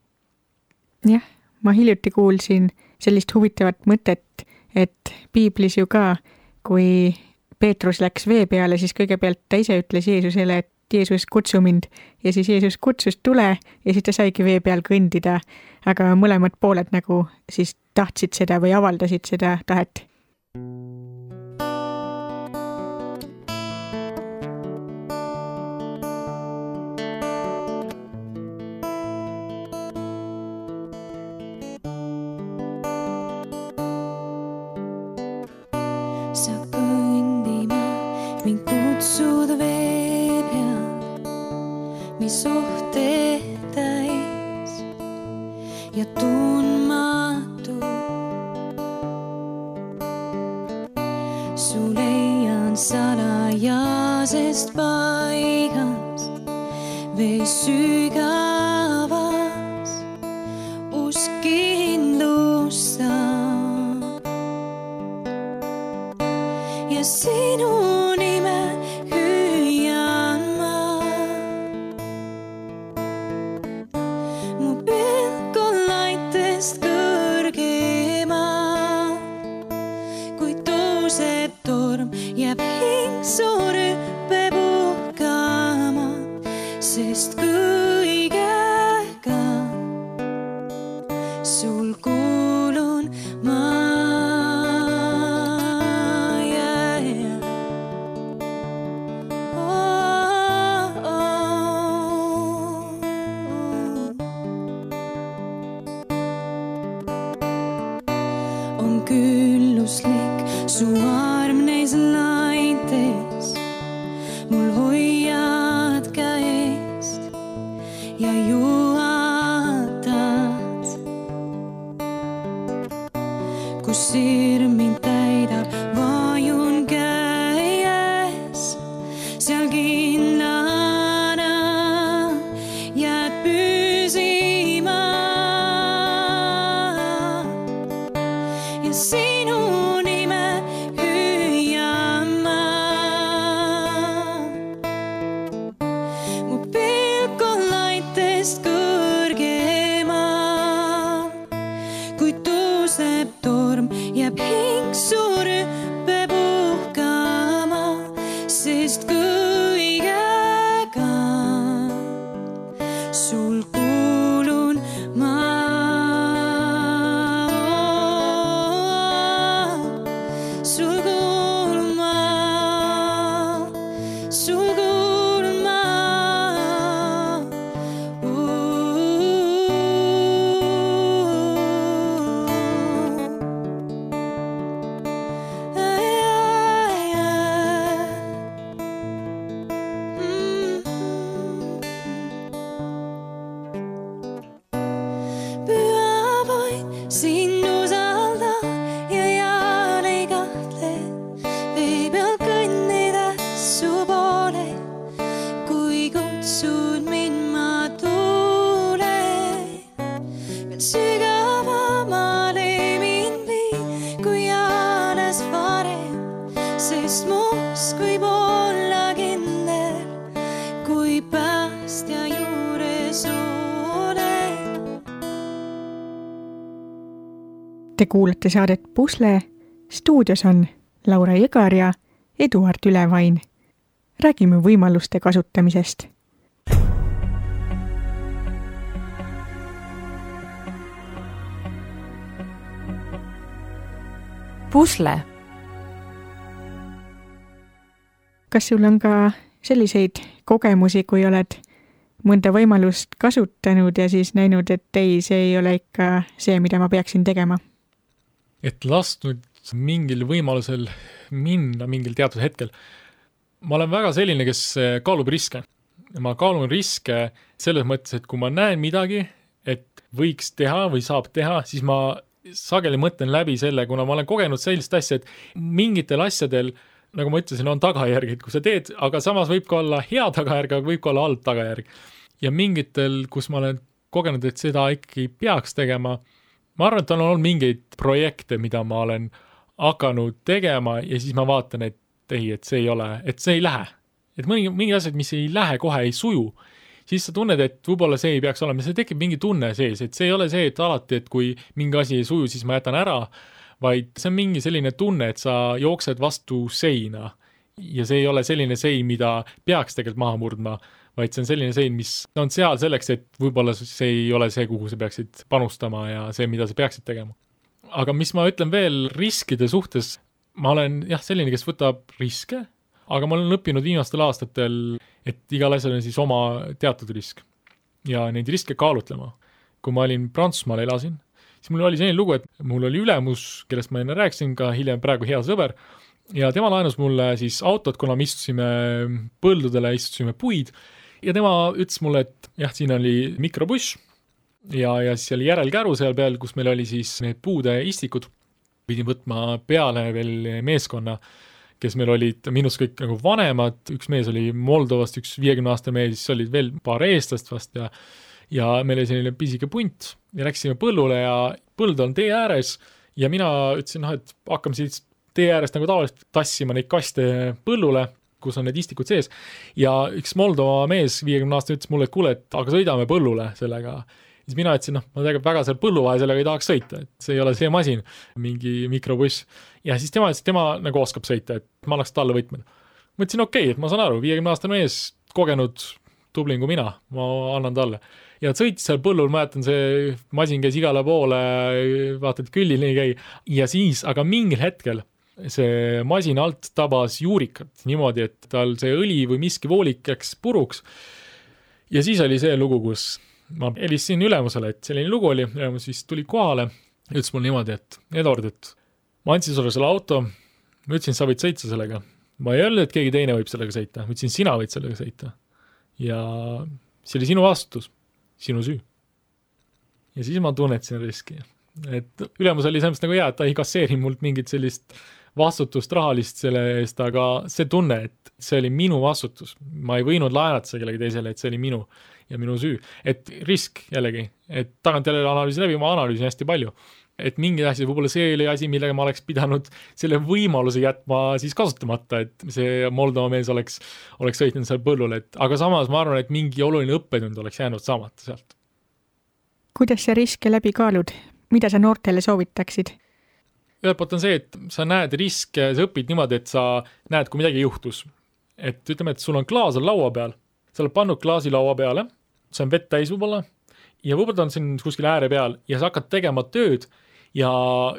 Jah, ma hiljuti kuulsin sellist huvitavat mõtet, et piiblis ju ka, kui Peetrus läks vee peale, siis kõigepealt ta ise ütles Jeesusele, et Jeesus kutsu mind ja siis Jeesus kutsus tule ja siis ta saigi vee peal kõndida, aga mõlemad pooled nagu siis tahtsid seda või avaldasid seda tahet. Sa kõndima mind kutsuda vee peal, mis ohte täis ja tundmatu. Su leian salajasest paigast, vee sügavas usk kindlustab ja sinu nime hüüan ma. Mu pilk on laitest kõrgema, kui tõuseb torm, jääb hing su rüppe puhkama, sest kõigega sul kuulun ma. On külluslik su arm neis laites, mul hoiad käest ja juhatad. Kus sirm mind täidab, vajun käes, seal kindlana jääd püsima. Ja sinu nime hüüan Te kuulate saadet Pusle. Stuudios on Laura Jõgar ja Eduard Ülevain. Räägime võimaluste kasutamisest. Pusle. Kas sul on ka selliseid kogemusi, kui oled mõnda võimalust kasutanud ja siis näinud, et ei, see ei ole ikka see, mida ma peaksin tegema? Et lasknud mingil võimalusel minna mingil teatud hetkel. Ma olen väga selline, kes kaalub riske. Ma kaalun riske selles mõttes, et kui ma näen midagi, et võiks teha või saab teha, siis ma sageli mõtlen läbi selle, kuna ma olen kogenud sellist asja, et mingitel asjadel, nagu ma ütlesin, on tagajärg, et kui sa teed, aga samas võib ka olla hea tagajärg, aga võib ka olla halb tagajärg. Ja mingitel, kus ma olen kogenud, et seda ikkagi peaks tegema, ma arvan, et on olnud mingeid projekte, mida ma olen hakanud tegema ja siis ma vaatan, et ei, et see ei ole, et see ei lähe. Et mingi asjad, mis ei lähe, kohe ei suju, siis sa tunned, et võib-olla see ei peaks olema. See tekib mingi tunne sees, et see ei ole see, et alati, et kui mingi asi ei suju, siis ma jätan ära, vaid see on mingi selline tunne, et sa jooksed vastu seina ja see ei ole selline sein, mida peaks tegelikult maha murdma, vaid see on selline sein, mis on seal selleks, et võib-olla see ei ole see, kuhu sa peaksid panustama ja see, mida sa peaksid tegema. Aga mis ma ütlen veel riskide suhtes, ma olen selline, kes võtab riske, aga ma olen õppinud viimastel aastatel, et igal asjal on siis oma teatud risk ja neid riske kaalutlema. Kui ma olin Prantsusmaal elasin, siis mul oli selline lugu, et mul oli ülemus, kellest ma enne rääkisin, ka hiljem praegu hea sõber, ja tema laenus mulle siis autot, kuna me istusime põldudele, istusime puid, ja tema ütles mulle, et siin oli mikrobuss ja siis oli järelkäru seal peal, kus meil oli siis need puude istikud. Pidin võtma peale veel meeskonna, kes meil olid minust kõik nagu vanemad, üks mees oli Moldovast, üks 50-aastane mees, siis olid veel paar eestlast vast ja meil oli selline pisike punt ja läksime põllule ja põld on tee ääres ja mina ütlesin, et hakkame siis tee äärest nagu tavaliselt tassima neid kaste põllule, kus on need istikud sees ja üks Moldova mees 50-aastane ütles mulle, et kuule, et aga sõidame põllule sellega. Siis mina ütlesin, ma tegelikult väga seal põlluvahe sellega ei tahaks sõita, et see ei ole see masin, mingi mikrobuss. Ja siis tema ütles, et tema nagu oskab sõita, et ma annaks talle võtmed. Ma ütlesin, okei, et ma saan aru, 50-aastane mees, kogenud tublin kui mina, ma annan talle. Ja sõitis seal põllul, ma jätan see masin käis igale poole, vaatad küllil nii käi. Ja siis, aga mingil hetkel see masin alt tabas juurikat niimoodi, et tal see õli või miski voolik läks puruks. Ja siis oli see lugu, kus ma helistasin ülemusele, et selline lugu oli, ülemus siis tuli kohale, ütles mul niimoodi, et Eduard, et ma andsin sulle selle auto, ma ütlesin, sa võid sõita sellega. Ma ei öelnud, et keegi teine võib sellega sõita, ma ütlesin, sina võid sellega sõita. Ja see oli sinu vastutus, sinu süü. Ja siis ma tunnetasin riski. Et ülemus oli selles nagu et ta ei kasseeri mult mingit sellist vastutust rahalist selle eest, aga see tunne, et see oli minu vastutus. Ma ei võinud laenata see kellegi teisele, et see oli minu ja minu süü. Et risk jällegi, et tagant jälle analüüsi läbi, ma analüüsin hästi palju. Et mingi asi, võib-olla see oli asi, millega ma oleks pidanud selle võimaluse jätma siis kasutamata, et see Moldova mees oleks sõitnud seal põllule. Aga samas ma arvan, et mingi oluline õppetund oleks jäänud saamata sealt. Kuidas sa riske läbi kaalud? Mida sa noortele soovitaksid? Ühelt poolt on see, et sa näed riske, sa õpid niimoodi, et sa näed, kui midagi juhtus. Et ütleme, et sul on klaas on laua peal, sa oled pannud klaasi laua peale, see on vett täis võib-olla, ja võib-olla ta on siin kuskil ääre peal, ja sa hakkad tegema tööd, ja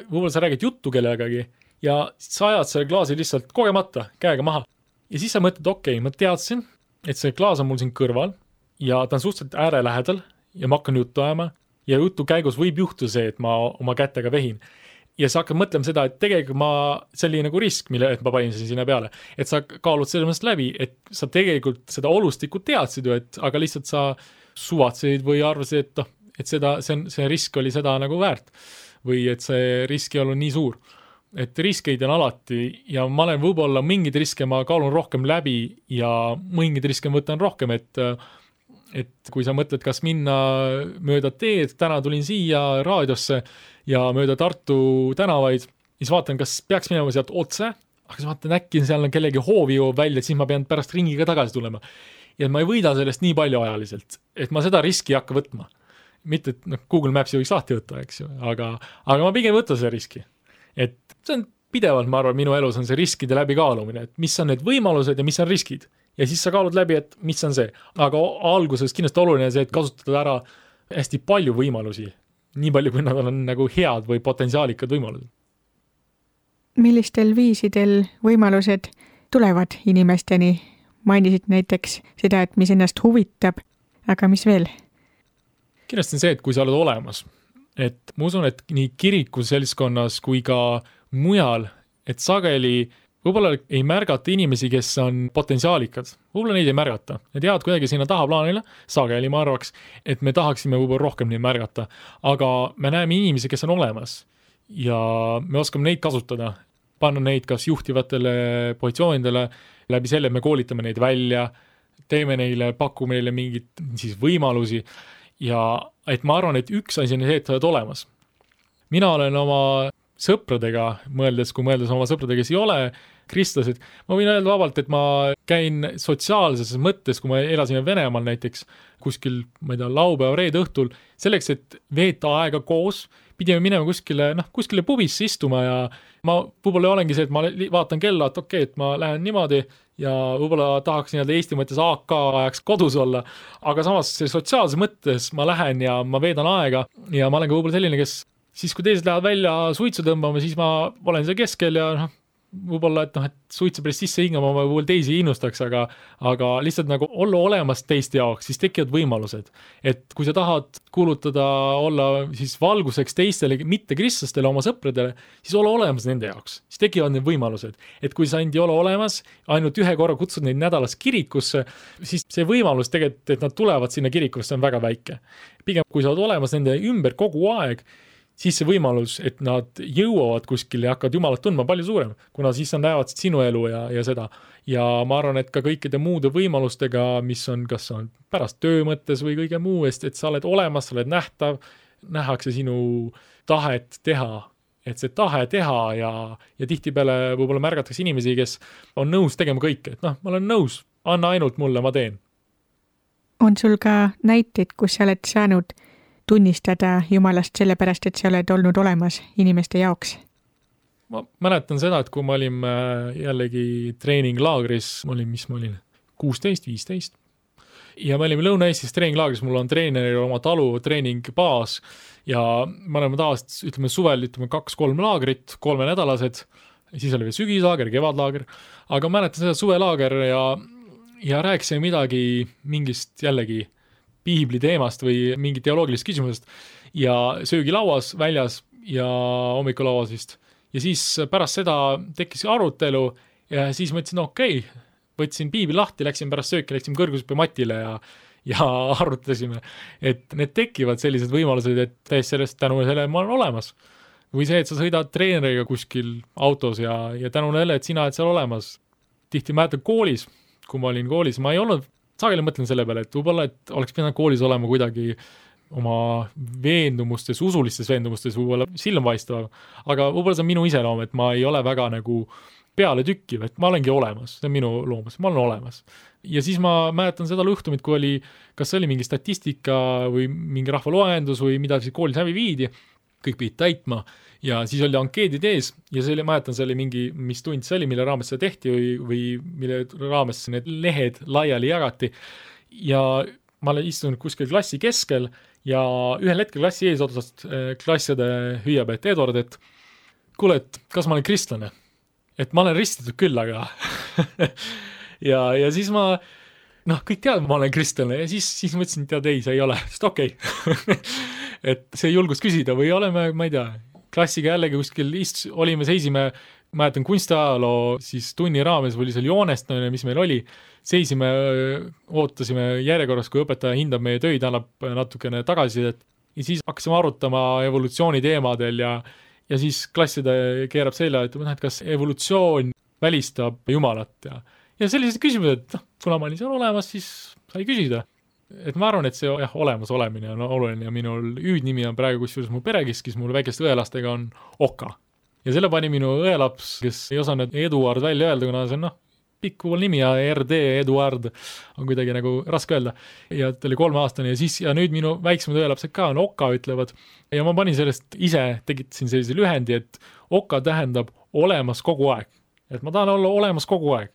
võib-olla sa räägid juttu kellegagi, ja sa ajad selle klaasi lihtsalt kogemata, käega maha. Ja siis sa mõtled, okei, ma teadsin, et see klaas on mul siin kõrval, ja ta on suhteliselt ääre lähedal, ja ma hakkan juttu ajama, ja jutu käigus võib juhtuda see, et ma oma kätega vehin. Ja sa hakkad mõtlema seda, et tegelikult see oli nagu risk, mille ma panin sinna peale. Et sa kaalud selles mõttes läbi, et sa tegelikult seda olustikku teadsid ju, aga lihtsalt sa suvatseid või arvasid, et see risk oli seda nagu väärt. Või et see risk ei olnud nii suur. Et riskeid on alati ja ma olen võib-olla mingid riske ma kaalun rohkem läbi ja mingid riske võtan rohkem, et kui sa mõtled, kas minna mööda teed, täna tulin siia raadiosse ja mööda Tartu tänavaid, siis vaatan, kas peaks minema sealt otse, aga siis vaatan äkki seal on kellegi hoovi jõuab välja, et siis ma pean pärast ringiga tagasi tulema. Ja ma ei võida sellest nii palju ajaliselt, et ma seda riski ei hakka võtma. mitte, et Google Maps'i võiks lahti võtta, eks ju, aga ma pigem võtan selle riski. Et see on pidevalt, ma arvan, minu elus on see riskide läbikaalumine, et mis on need võimalused ja mis on riskid. Ja siis sa kaalud läbi, et mis on see. Aga alguses kindlasti oluline see, et kasutada ära hästi palju võimalusi, nii palju, kui nad on nagu head või potentsiaalikad võimalused. Millistel viisidel võimalused tulevad inimesteni? Mainisid näiteks seda, et mis ennast huvitab, aga mis veel? Kindlasti on see, et kui sa oled olemas, et ma usun, et nii kiriku seltskonnas kui ka mujal, et sageli võib-olla ei märgata inimesi, kes on potentsiaalikad. Võib-olla neid ei märgata. Need jäävad kuidagi sinna tahaplaanile, sageli ma arvaks, et me tahaksime võib-olla rohkem neid märgata. Aga me näeme inimesi, kes on olemas ja me oskame neid kasutada, panna neid kas juhtivatele positsioonidele, läbi selle me koolitame neid välja, teeme neile, pakume neile mingid siis võimalusi ja et ma arvan, et üks asi on see, et sa oled olemas. Mina olen oma sõpradega mõeldes, kui mõeldes oma sõpradega, kes ei ole kristlased, ma võin öelda vabalt, et ma käin sotsiaalses mõttes, kui ma elasin Venemaal näiteks kuskil, ma ei tea, laupäeva reede õhtul, selleks, et veeta aega koos, pidime minema kuskile pubisse istuma ja ma võib-olla olengi see, et ma vaatan kella, et okei, et ma lähen niimoodi ja võib-olla tahaks Eesti mõttes AK ajaks kodus olla, aga samas sotsiaalses mõttes ma lähen ja ma veedan aega ja ma olen ka võib-olla selline, kes siis kui teised lähevad välja suitsu tõmbama, siis ma olen seal keskel ja võib-olla, et suitsu päris sisse hingama ma võib-olla teisi innustaks, aga lihtsalt nagu olla olemas teiste jaoks, siis tekivad võimalused. Et kui sa tahad kuulutada olla siis valguseks teistele, mitte kristlastele, oma sõpradele, siis ole olemas nende jaoks. Siis tekivad need võimalused. Et kui sa ei ole olemas, ainult ühe korra kutsud neid nädalas kirikusse, siis see võimalus tegelikult, et nad tulevad sinna kirikusse, on väga väike. Pigem, kui sa oled olemas nende ümber kogu aeg, siis see võimalus, et nad jõuavad kuskil ja hakkavad Jumalat tundma palju suurem, kuna siis nad näevad sinu elu ja seda. Ja ma arvan, et ka kõikide muude võimalustega, mis on, kas on pärast töö mõttes või kõige muu eest, et sa oled olemas, sa oled nähtav, nähakse sinu tahet teha, et see tahe teha ja tihtipeale võib-olla märgatakse inimesi, kes on nõus tegema kõike, et ma olen nõus, anna ainult mulle, ma teen. On sul ka näiteid, kus sa oled saanud tunnistada Jumalast sellepärast, et sa oled olnud olemas inimeste jaoks? Ma mäletan seda, et kui ma olin jällegi treeninglaagris, ma olin 16-15 ja me olime Lõuna-Eestis treeninglaagris, mul on treeneril oma talu treeningbaas ja me oleme tavaliselt, ütleme suvel, 2-3 laagrit, 3-nädalased, siis oli veel sügislaager, kevadlaager, aga mäletan seda suvelaager ja rääkisime midagi mingist jällegi piibli teemast või mingi teoloogilist küsimusest ja söögilauas väljas ja hommikulauas vist. Ja siis pärast seda tekkis arutelu ja siis mõtlesin, okei, võtsin piibli lahti, läksin pärast sööki, läksin kõrgushüppe matile ja arutasime, et need tekivad sellised võimalused, et täiesti sellest tänu selle ma olen olemas. Või see, et sa sõidad treeneriga kuskil autos ja tänu selle, et sina oled seal olemas. Tihti mäletan koolis, kui ma olin koolis, ma ei olnud sageli mõtlen selle peale, et võib-olla, et oleks pidanud koolis olema kuidagi oma veendumustes, usulistes veendumustes võib-olla silmapaistav, aga võib-olla see on minu iseloom, et ma ei ole väga nagu peale tükkiv, et ma olengi olemas, see on minu loomus, ma olen olemas. Ja siis ma mäletan seda juhtumit, kui oli, kas see oli mingi statistika või mingi rahvaloendus või mida siis koolis hävi viidi, kõik pidid täitma ja siis oli ankeedid ees ja see oli, mäletan, see oli mingi, mis tund see oli, mille raames seda tehti või mille raames need lehed laiali jagati ja ma istun kuskil klassi keskel ja ühel hetkel klassi ees otsast klasside hüüab, et Edward, et kuule, et kas ma olen kristlane? Et ma olen ristitud küll, aga ja siis ma kõik teavad, ma olen kristlane ja siis mõtlesin, tead ei, see ei ole, sest okei. Et see julgus küsida või oleme, ma ei tea, klassiga jällegi kuskil olime, seisime, mäletan kunstiajaloo siis tunni raames või seal joonestamine, mis meil oli, seisime, ootasime järjekorras, kui õpetaja hindab meie töid, annab natukene tagasisidet ja siis hakkasime arutama evolutsiooni teemadel ja siis klasside keerab selja, et kas evolutsioon välistab Jumalat ja sellised küsimused, kuna ma olin seal olemas, siis sai küsida. Et ma arvan, et see olemas olemine on oluline ja minul hüüdnimi on praegu kusjuures mu perekeskis, mul väikeste õelastega on Oka. Ja selle pani minu õelaps, kes ei osanud Eduard välja öelda, kuna see on pikk nimi ja RD Eduard on kuidagi nagu raske öelda. Ja ta oli 3-aastane ja nüüd minu väiksemad õelapsed ka on Oka ütlevad. Ja ma panin sellest ise, tegitasin sellise lühendi, et Oka tähendab olemas kogu aeg. Et ma tahan olla olemas kogu aeg.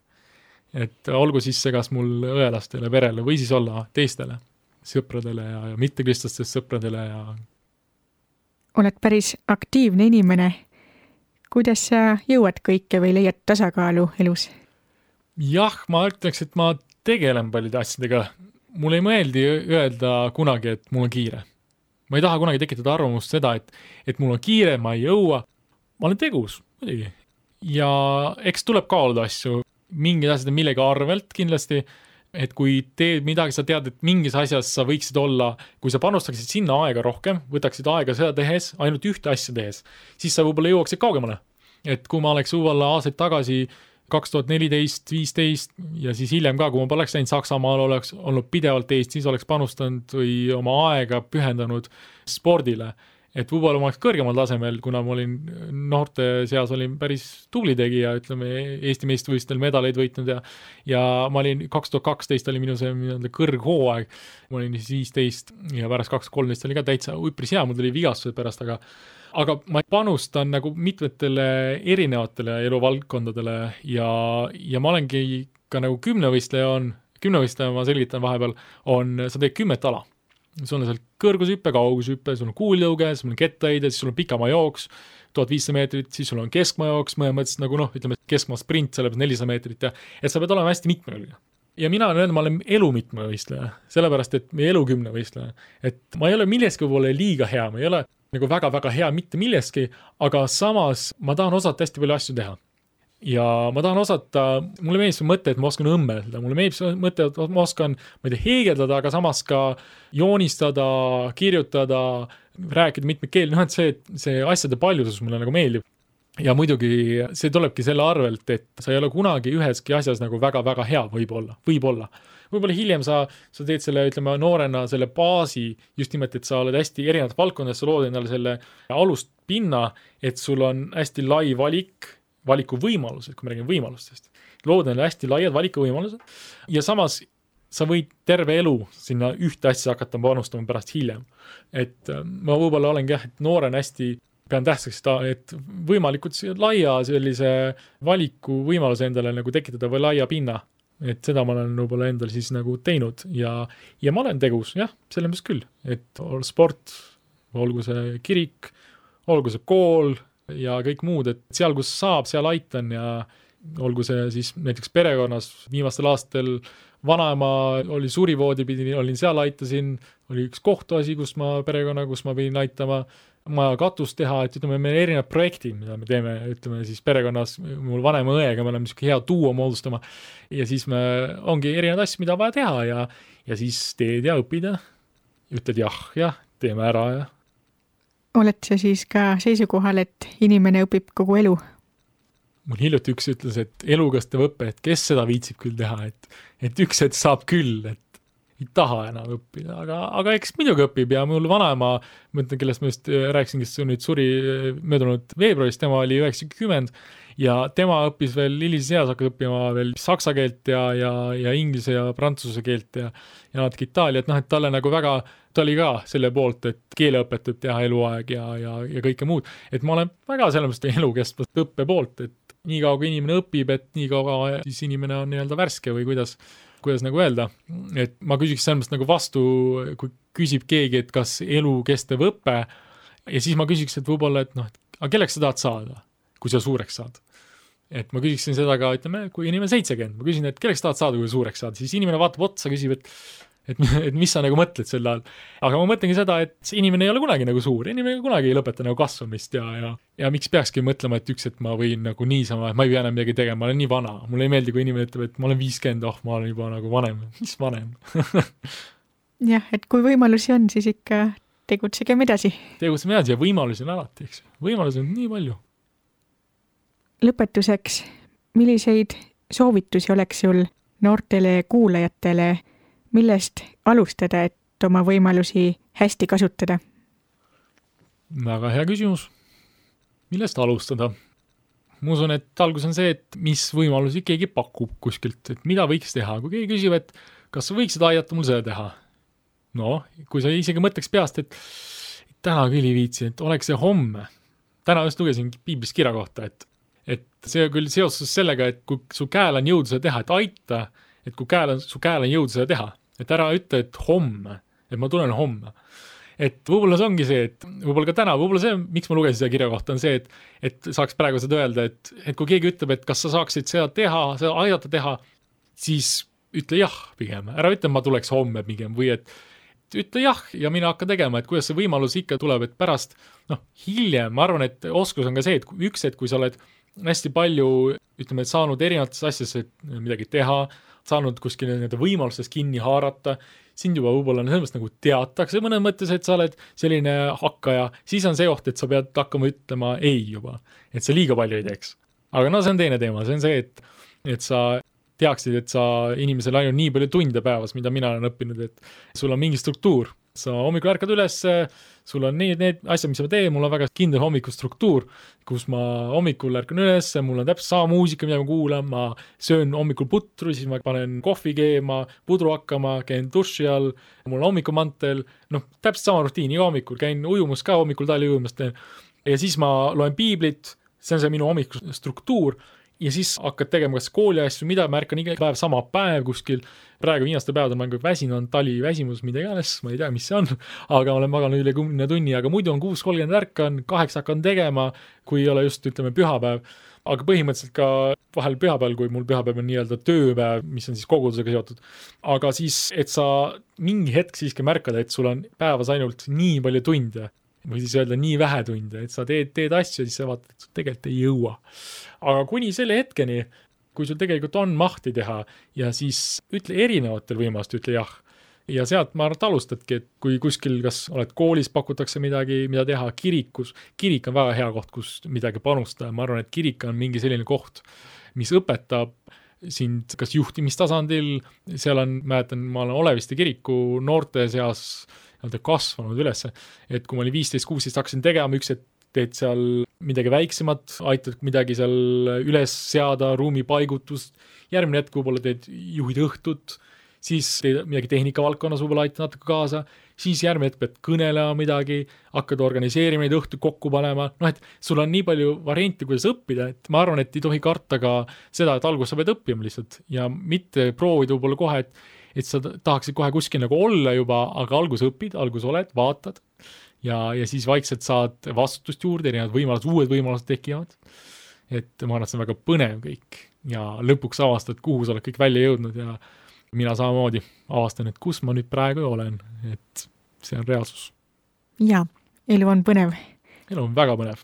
Et olgu siis see kas mul õelastele, perele või siis olla teistele sõpradele ja mittekristlaste sõpradele ja oled päris aktiivne inimene. Kuidas sa jõuad kõike või leiad tasakaalu elus? Jah, ma ütleks, et ma tegelen paljude asjadega. Mul ei meeldi öelda kunagi, et mul on kiire. Ma ei taha kunagi tekitada arvamust seda, et mul on kiire, ma ei jõua. Ma olen tegus, muidugi. Ja eks tuleb kaaluda asju, mingid asjad millegi arvelt kindlasti, et kui teed midagi, sa tead, et mingis asjas sa võiksid olla, kui sa panustaksid sinna aega rohkem, võtaksid aega seda tehes, ainult ühte asja tehes, siis sa võib-olla jõuaksid kaugemale. Et kui ma oleks võib-olla aastaid tagasi 2014-15 ja siis hiljem ka, kui ma poleks läinud Saksamaal, oleks olnud pidevalt Eestis, oleks panustanud või oma aega pühendanud spordile. Et võib-olla ma oleks kõrgemal tasemel, kuna ma olin noorte seas olin päris tubli tegija, ütleme Eesti meistrivõistlustel medaleid võitnud ja ma olin 2012 oli minu see kõrghooaeg, ma olin siis 15 ja pärast 2013 oli ka täitsa üpris hea, mul tuli vigastused pärast, aga ma panustan nagu mitmetele erinevatele eluvaldkondadele ja ma olengi ka nagu kümnevõistleja ma selgitan vahepeal, sa teed 10 ala. Sul on seal kõrgushüppe, kaugushüppe, sul on kuultõuge, sul on kettaheide, siis sul on pikamaa jooks, 1500 meetrit, siis sul on keskmaa jooks, mõttes nagu ütleme keskmaa sprint, sellepärast 400 meetrit ja sa pead olema hästi mitmekülgne. Ja mina ma olen elu mitmevõistleja, sellepärast et meie elu 10 võistleja. Et ma ei ole milleski võib-olla liiga hea, ma ei ole nagu väga-väga hea mitte milleski, aga samas ma tahan osata hästi palju asju teha. Ja ma tahan osata, mulle meeldib see mõte, et ma oskan õmmelda, mulle meeldib see mõte, et ma oskan heegeldada, aga samas ka joonistada, kirjutada, rääkida mitmeid keeli, et see asjade paljusus mulle nagu meeldib. Ja muidugi see tulebki selle arvelt, et sa ei ole kunagi üheski asjas nagu väga-väga hea võib-olla. Võib-olla hiljem sa teed selle, ütleme, noorena selle baasi, just nimelt, et sa oled hästi erinevad valdkondades, sa lood endale selle alust pinna, et sul on hästi lai valikuvõimalused, kui me räägime võimalustest. Loodan hästi laiad valikuvõimalused ja samas sa võid terve elu sinna ühte asja hakata panustama pärast hiljem. Et ma võib-olla olengi et noorena hästi pean tähtsaks, et võimalikult laia sellise valikuvõimaluse endale nagu tekitada või laia pinna. Et seda ma olen võib-olla endal siis nagu teinud ja ma olen tegus, jah, selles küll. Et sport, olgu see kirik, olgu see kool, ja kõik muud, et seal, kus saab, seal aitan ja olgu see siis näiteks perekonnas viimastel aastatel vanaema oli surivoodipidi, olin seal, aitasin, oli üks kohtuasi, kus ma pidin aitama maja katust teha, et ütleme, meil erinevad projektid, mida me teeme, ütleme siis perekonnas, mul vanema õega, me oleme niisugune hea duo moodustama ja siis me ongi erinevad asju, mida vaja teha ja siis teed ja õpid ja ütled jah, teeme ära ja oled sa siis ka seisukohal, et inimene õpib kogu elu? Mul hiljuti üks ütles, et elukestev õpe, et kes seda viitsib küll teha, et üks hetk saab küll, et ei taha enam õppida, aga eks muidugi õpib ja mul vanaema, mõtlen, kellest ma just rääkisin, kes nüüd suri möödunud veebruaris, tema oli 90 ja tema õppis veel hilises eas, hakkas õppima veel saksa keelt ja inglise ja prantsuse keelt ja natuke Itaalia, et talle nagu väga, ta oli ka selle poolt, et keeleõpet võib teha eluaeg ja kõike muud, et ma olen väga sellepärast elukestvast õppe poolt, et nii kaua kui inimene õpib, et nii kaua siis inimene on nii-öelda värske või kuidas nagu öelda, et ma küsiks sellepärast nagu vastu, kui küsib keegi, et kas elukestev õpe ja siis ma küsiks, et võib-olla, et aga kelleks sa tahad saada, kui sa suureks saad. Et ma küsiksin seda ka, ütleme, kui inimene 70, ma küsin, et kelleks tahad saada, kui suureks saad, siis inimene vaatab otsa, küsib, et mis sa nagu mõtled selle all. Aga ma mõtlengi seda, et inimene ei ole kunagi nagu suur, inimene kunagi ei lõpeta nagu kasvamist ja miks peakski mõtlema, et üks, et ma võin nagu niisama, et ma ei pea enam midagi tegema, ma olen nii vana. Mulle ei meeldi, kui inimene ütleb, et ma olen 50, ma olen juba nagu vanem. Mis vanem? Jah, et kui võimalusi on, siis ikka tegutsegem edasi. Tegutsegem edasi ja võimalusi on alati, eks. Võimalusi on nii palju. Lõpetuseks, milliseid soovitusi oleks sul noortele kuulajatele, millest alustada, et oma võimalusi hästi kasutada? Väga hea küsimus. Millest alustada? ma usun, et algus on see, et mis võimalusi keegi pakub kuskilt, et mida võiks teha. Kui keegi küsib, et kas sa võiksid aidata mul seda teha? No, kui sa isegi mõtleks peast, et täna küll ei viitsi, et oleks see homme. Täna just lugesin piiblis kirja kohta, et see küll seoses sellega, et kui su käel on jõudu seda teha, et aita, et kui su käel on jõudu seda teha, et ära ütle, et homme, et ma tulen homme. Et võib-olla see ongi see, et võib-olla ka täna, võib-olla see, miks ma lugesin seda kirja kohta, on see, et saaks praegu seda öelda, et kui keegi ütleb, et kas sa saaksid seda teha, seda aidata teha, siis ütle jah pigem. Ära ütle, ma tuleks homme pigem või et ütle jah ja mina hakka tegema, et kuidas see võimalus ikka tuleb, et pärast, hiljem, ma arvan, et oskus on ka see, et üks, et kui sa oled hästi palju, ütleme, et saanud erinevates asjades midagi teha, saanud kuskil nende võimalustest kinni haarata, sind juba võib-olla sellest nagu teatakse mõnes mõttes, et sa oled selline hakkaja, siis on see oht, et sa pead hakkama ütlema ei juba, et sa liiga palju ei teeks. Aga see on teine teema, see on see, et sa teaksid, et sa inimesel ainult nii palju tunde päevas, mida mina olen õppinud, et sul on mingi struktuur. Sa hommikul ärkad üles, sul on need asjad, mis ma teen, mul on väga kindel hommikustruktuur, kus ma hommikul ärkan üles, mul on täpselt sama muusika, mida ma kuulan, ma söön hommikul putru, siis ma panen kohvi keema, pudru hakkama, käin duši all, mul on hommikumantel, täpselt sama rutiin, iga hommikul, käin ujumus ka hommikul tali ujumast ja siis ma loen piiblit, see on see minu hommikustruktuur ja siis hakkad tegema kas kooli asju, mida ma ärkan iga päev sama päev kuskil. Praegu viimaste päevadel ma olen väsinud, tali väsimus, mida iganes, ma ei tea, mis see on, aga olen maganud üle 10 tunni, aga muidu on 6:30 ärkan, 8 hakkan tegema, kui ei ole just, ütleme, pühapäev. Aga põhimõtteliselt ka vahel pühapäeval, kui mul pühapäev on nii-öelda tööpäev, mis on siis kogudusega seotud. Aga siis, et sa mingi hetk siiski märkad, et sul on päevas ainult nii palju tunde, või siis öelda nii vähe tunde, et sa teed asju, siis sa vaatad, et sul tegelikult ei jõua. Aga kuni selle hetkeni, kui sul tegelikult on mahti teha ja siis ütle erinevatel võimalust, ütle jah. Ja sealt ma arvan, et alustadki, et kui kuskil, kas oled koolis, pakutakse midagi, mida teha kirikus. Kirik on väga hea koht, kus midagi panustada. Ma arvan, et kirik on mingi selline koht, mis õpetab sind kas juhtimistasandil, seal on, mäletan, ma olen Oleviste kiriku noorte seas kasvanud üles, et kui ma olin 15-16 hakkasin tegema, üks, et teed seal midagi väiksemat, aitad midagi seal üles seada, ruumi paigutust, järgmine hetk võib-olla teed juhid õhtut, siis teed midagi tehnikavaldkonnas võib-olla aitad natuke kaasa, siis järgmine hetk pead kõnelema midagi, hakkad organiseerima neid õhtu kokku panema, et sul on nii palju variante, kuidas õppida, et ma arvan, et ei tohi karta ka seda, et alguses sa pead õppima lihtsalt ja mitte proovida võib-olla kohe, et sa tahaksid kohe kuskil nagu olla juba, aga algus õpid, algus oled, vaatad ja siis vaikselt saad vastutust juurde, erinevad võimalused, uued võimalused tekivad. Et ma arvan, et see on väga põnev kõik ja lõpuks avastad, kuhu sa oled kõik välja jõudnud ja mina samamoodi avastan, et kus ma nüüd praegu olen, et see on reaalsus. Ja, elu on põnev. Elu on väga põnev.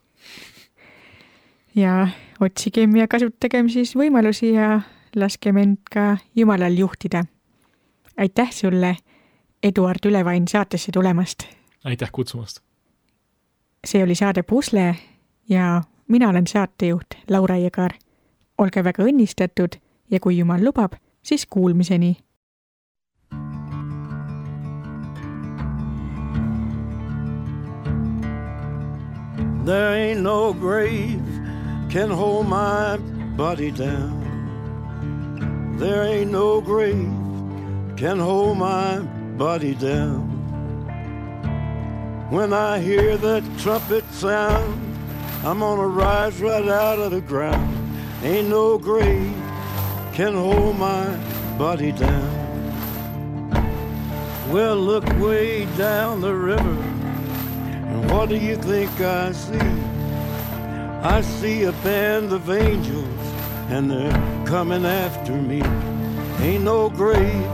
Ja otsigem ja kasutagem siis võimalusi ja laskem end ka Jumalal juhtida. Aitäh sulle, Eduard Ülevain, saatesse tulemast. Aitäh kutsumast. See oli saade Pusle ja mina olen saatejuht Laura Jõgar. Olge väga õnnistatud ja kui Jumal lubab, siis kuulmiseni. There ain't no grave can hold my body down. There ain't no grave can hold my body down. When I hear that trumpet sound, I'm gonna rise right out of the ground. Ain't no grave can hold my body down. Well, look way down the river, and what do you think I see? I see a band of angels, and they're coming after me. Ain't no grave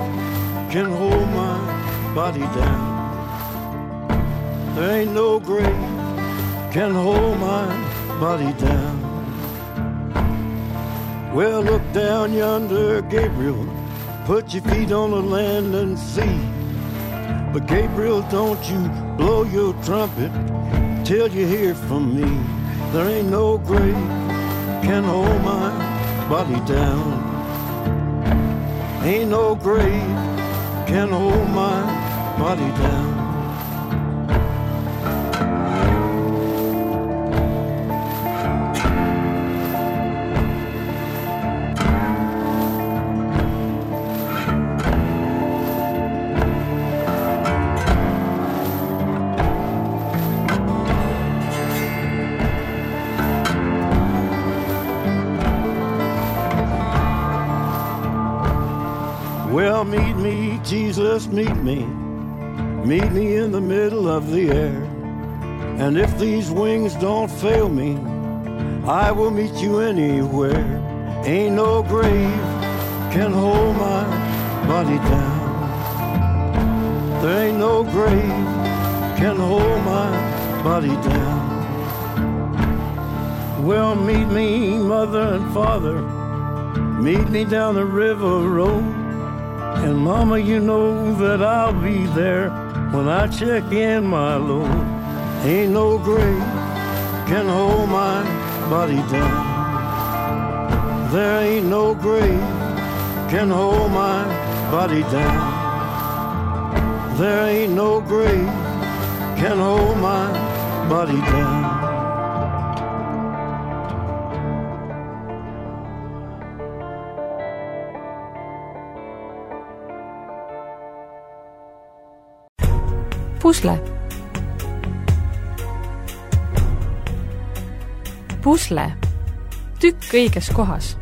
can hold my body down. There ain't no grave can hold my body down. Well, look down yonder, Gabriel, put your feet on the land and see. But Gabriel, don't you blow your trumpet till you hear from me. There ain't no grave can hold my body down. Ain't no grave can hold my body down. Well, meet me, Jesus, meet me. Meet me in the middle of the air. And if these wings don't fail me, I will meet you anywhere. Ain't no grave can hold my body down. There ain't no grave can hold my body down. Well, meet me, mother and father. Meet me down the river road. And mama, you know that I'll be there when I check in my load. Ain't no grave can hold my body down. There ain't no grave can hold my body down. There ain't no grave can hold my body down. Pusle. Pusle. Tükk õiges kohas.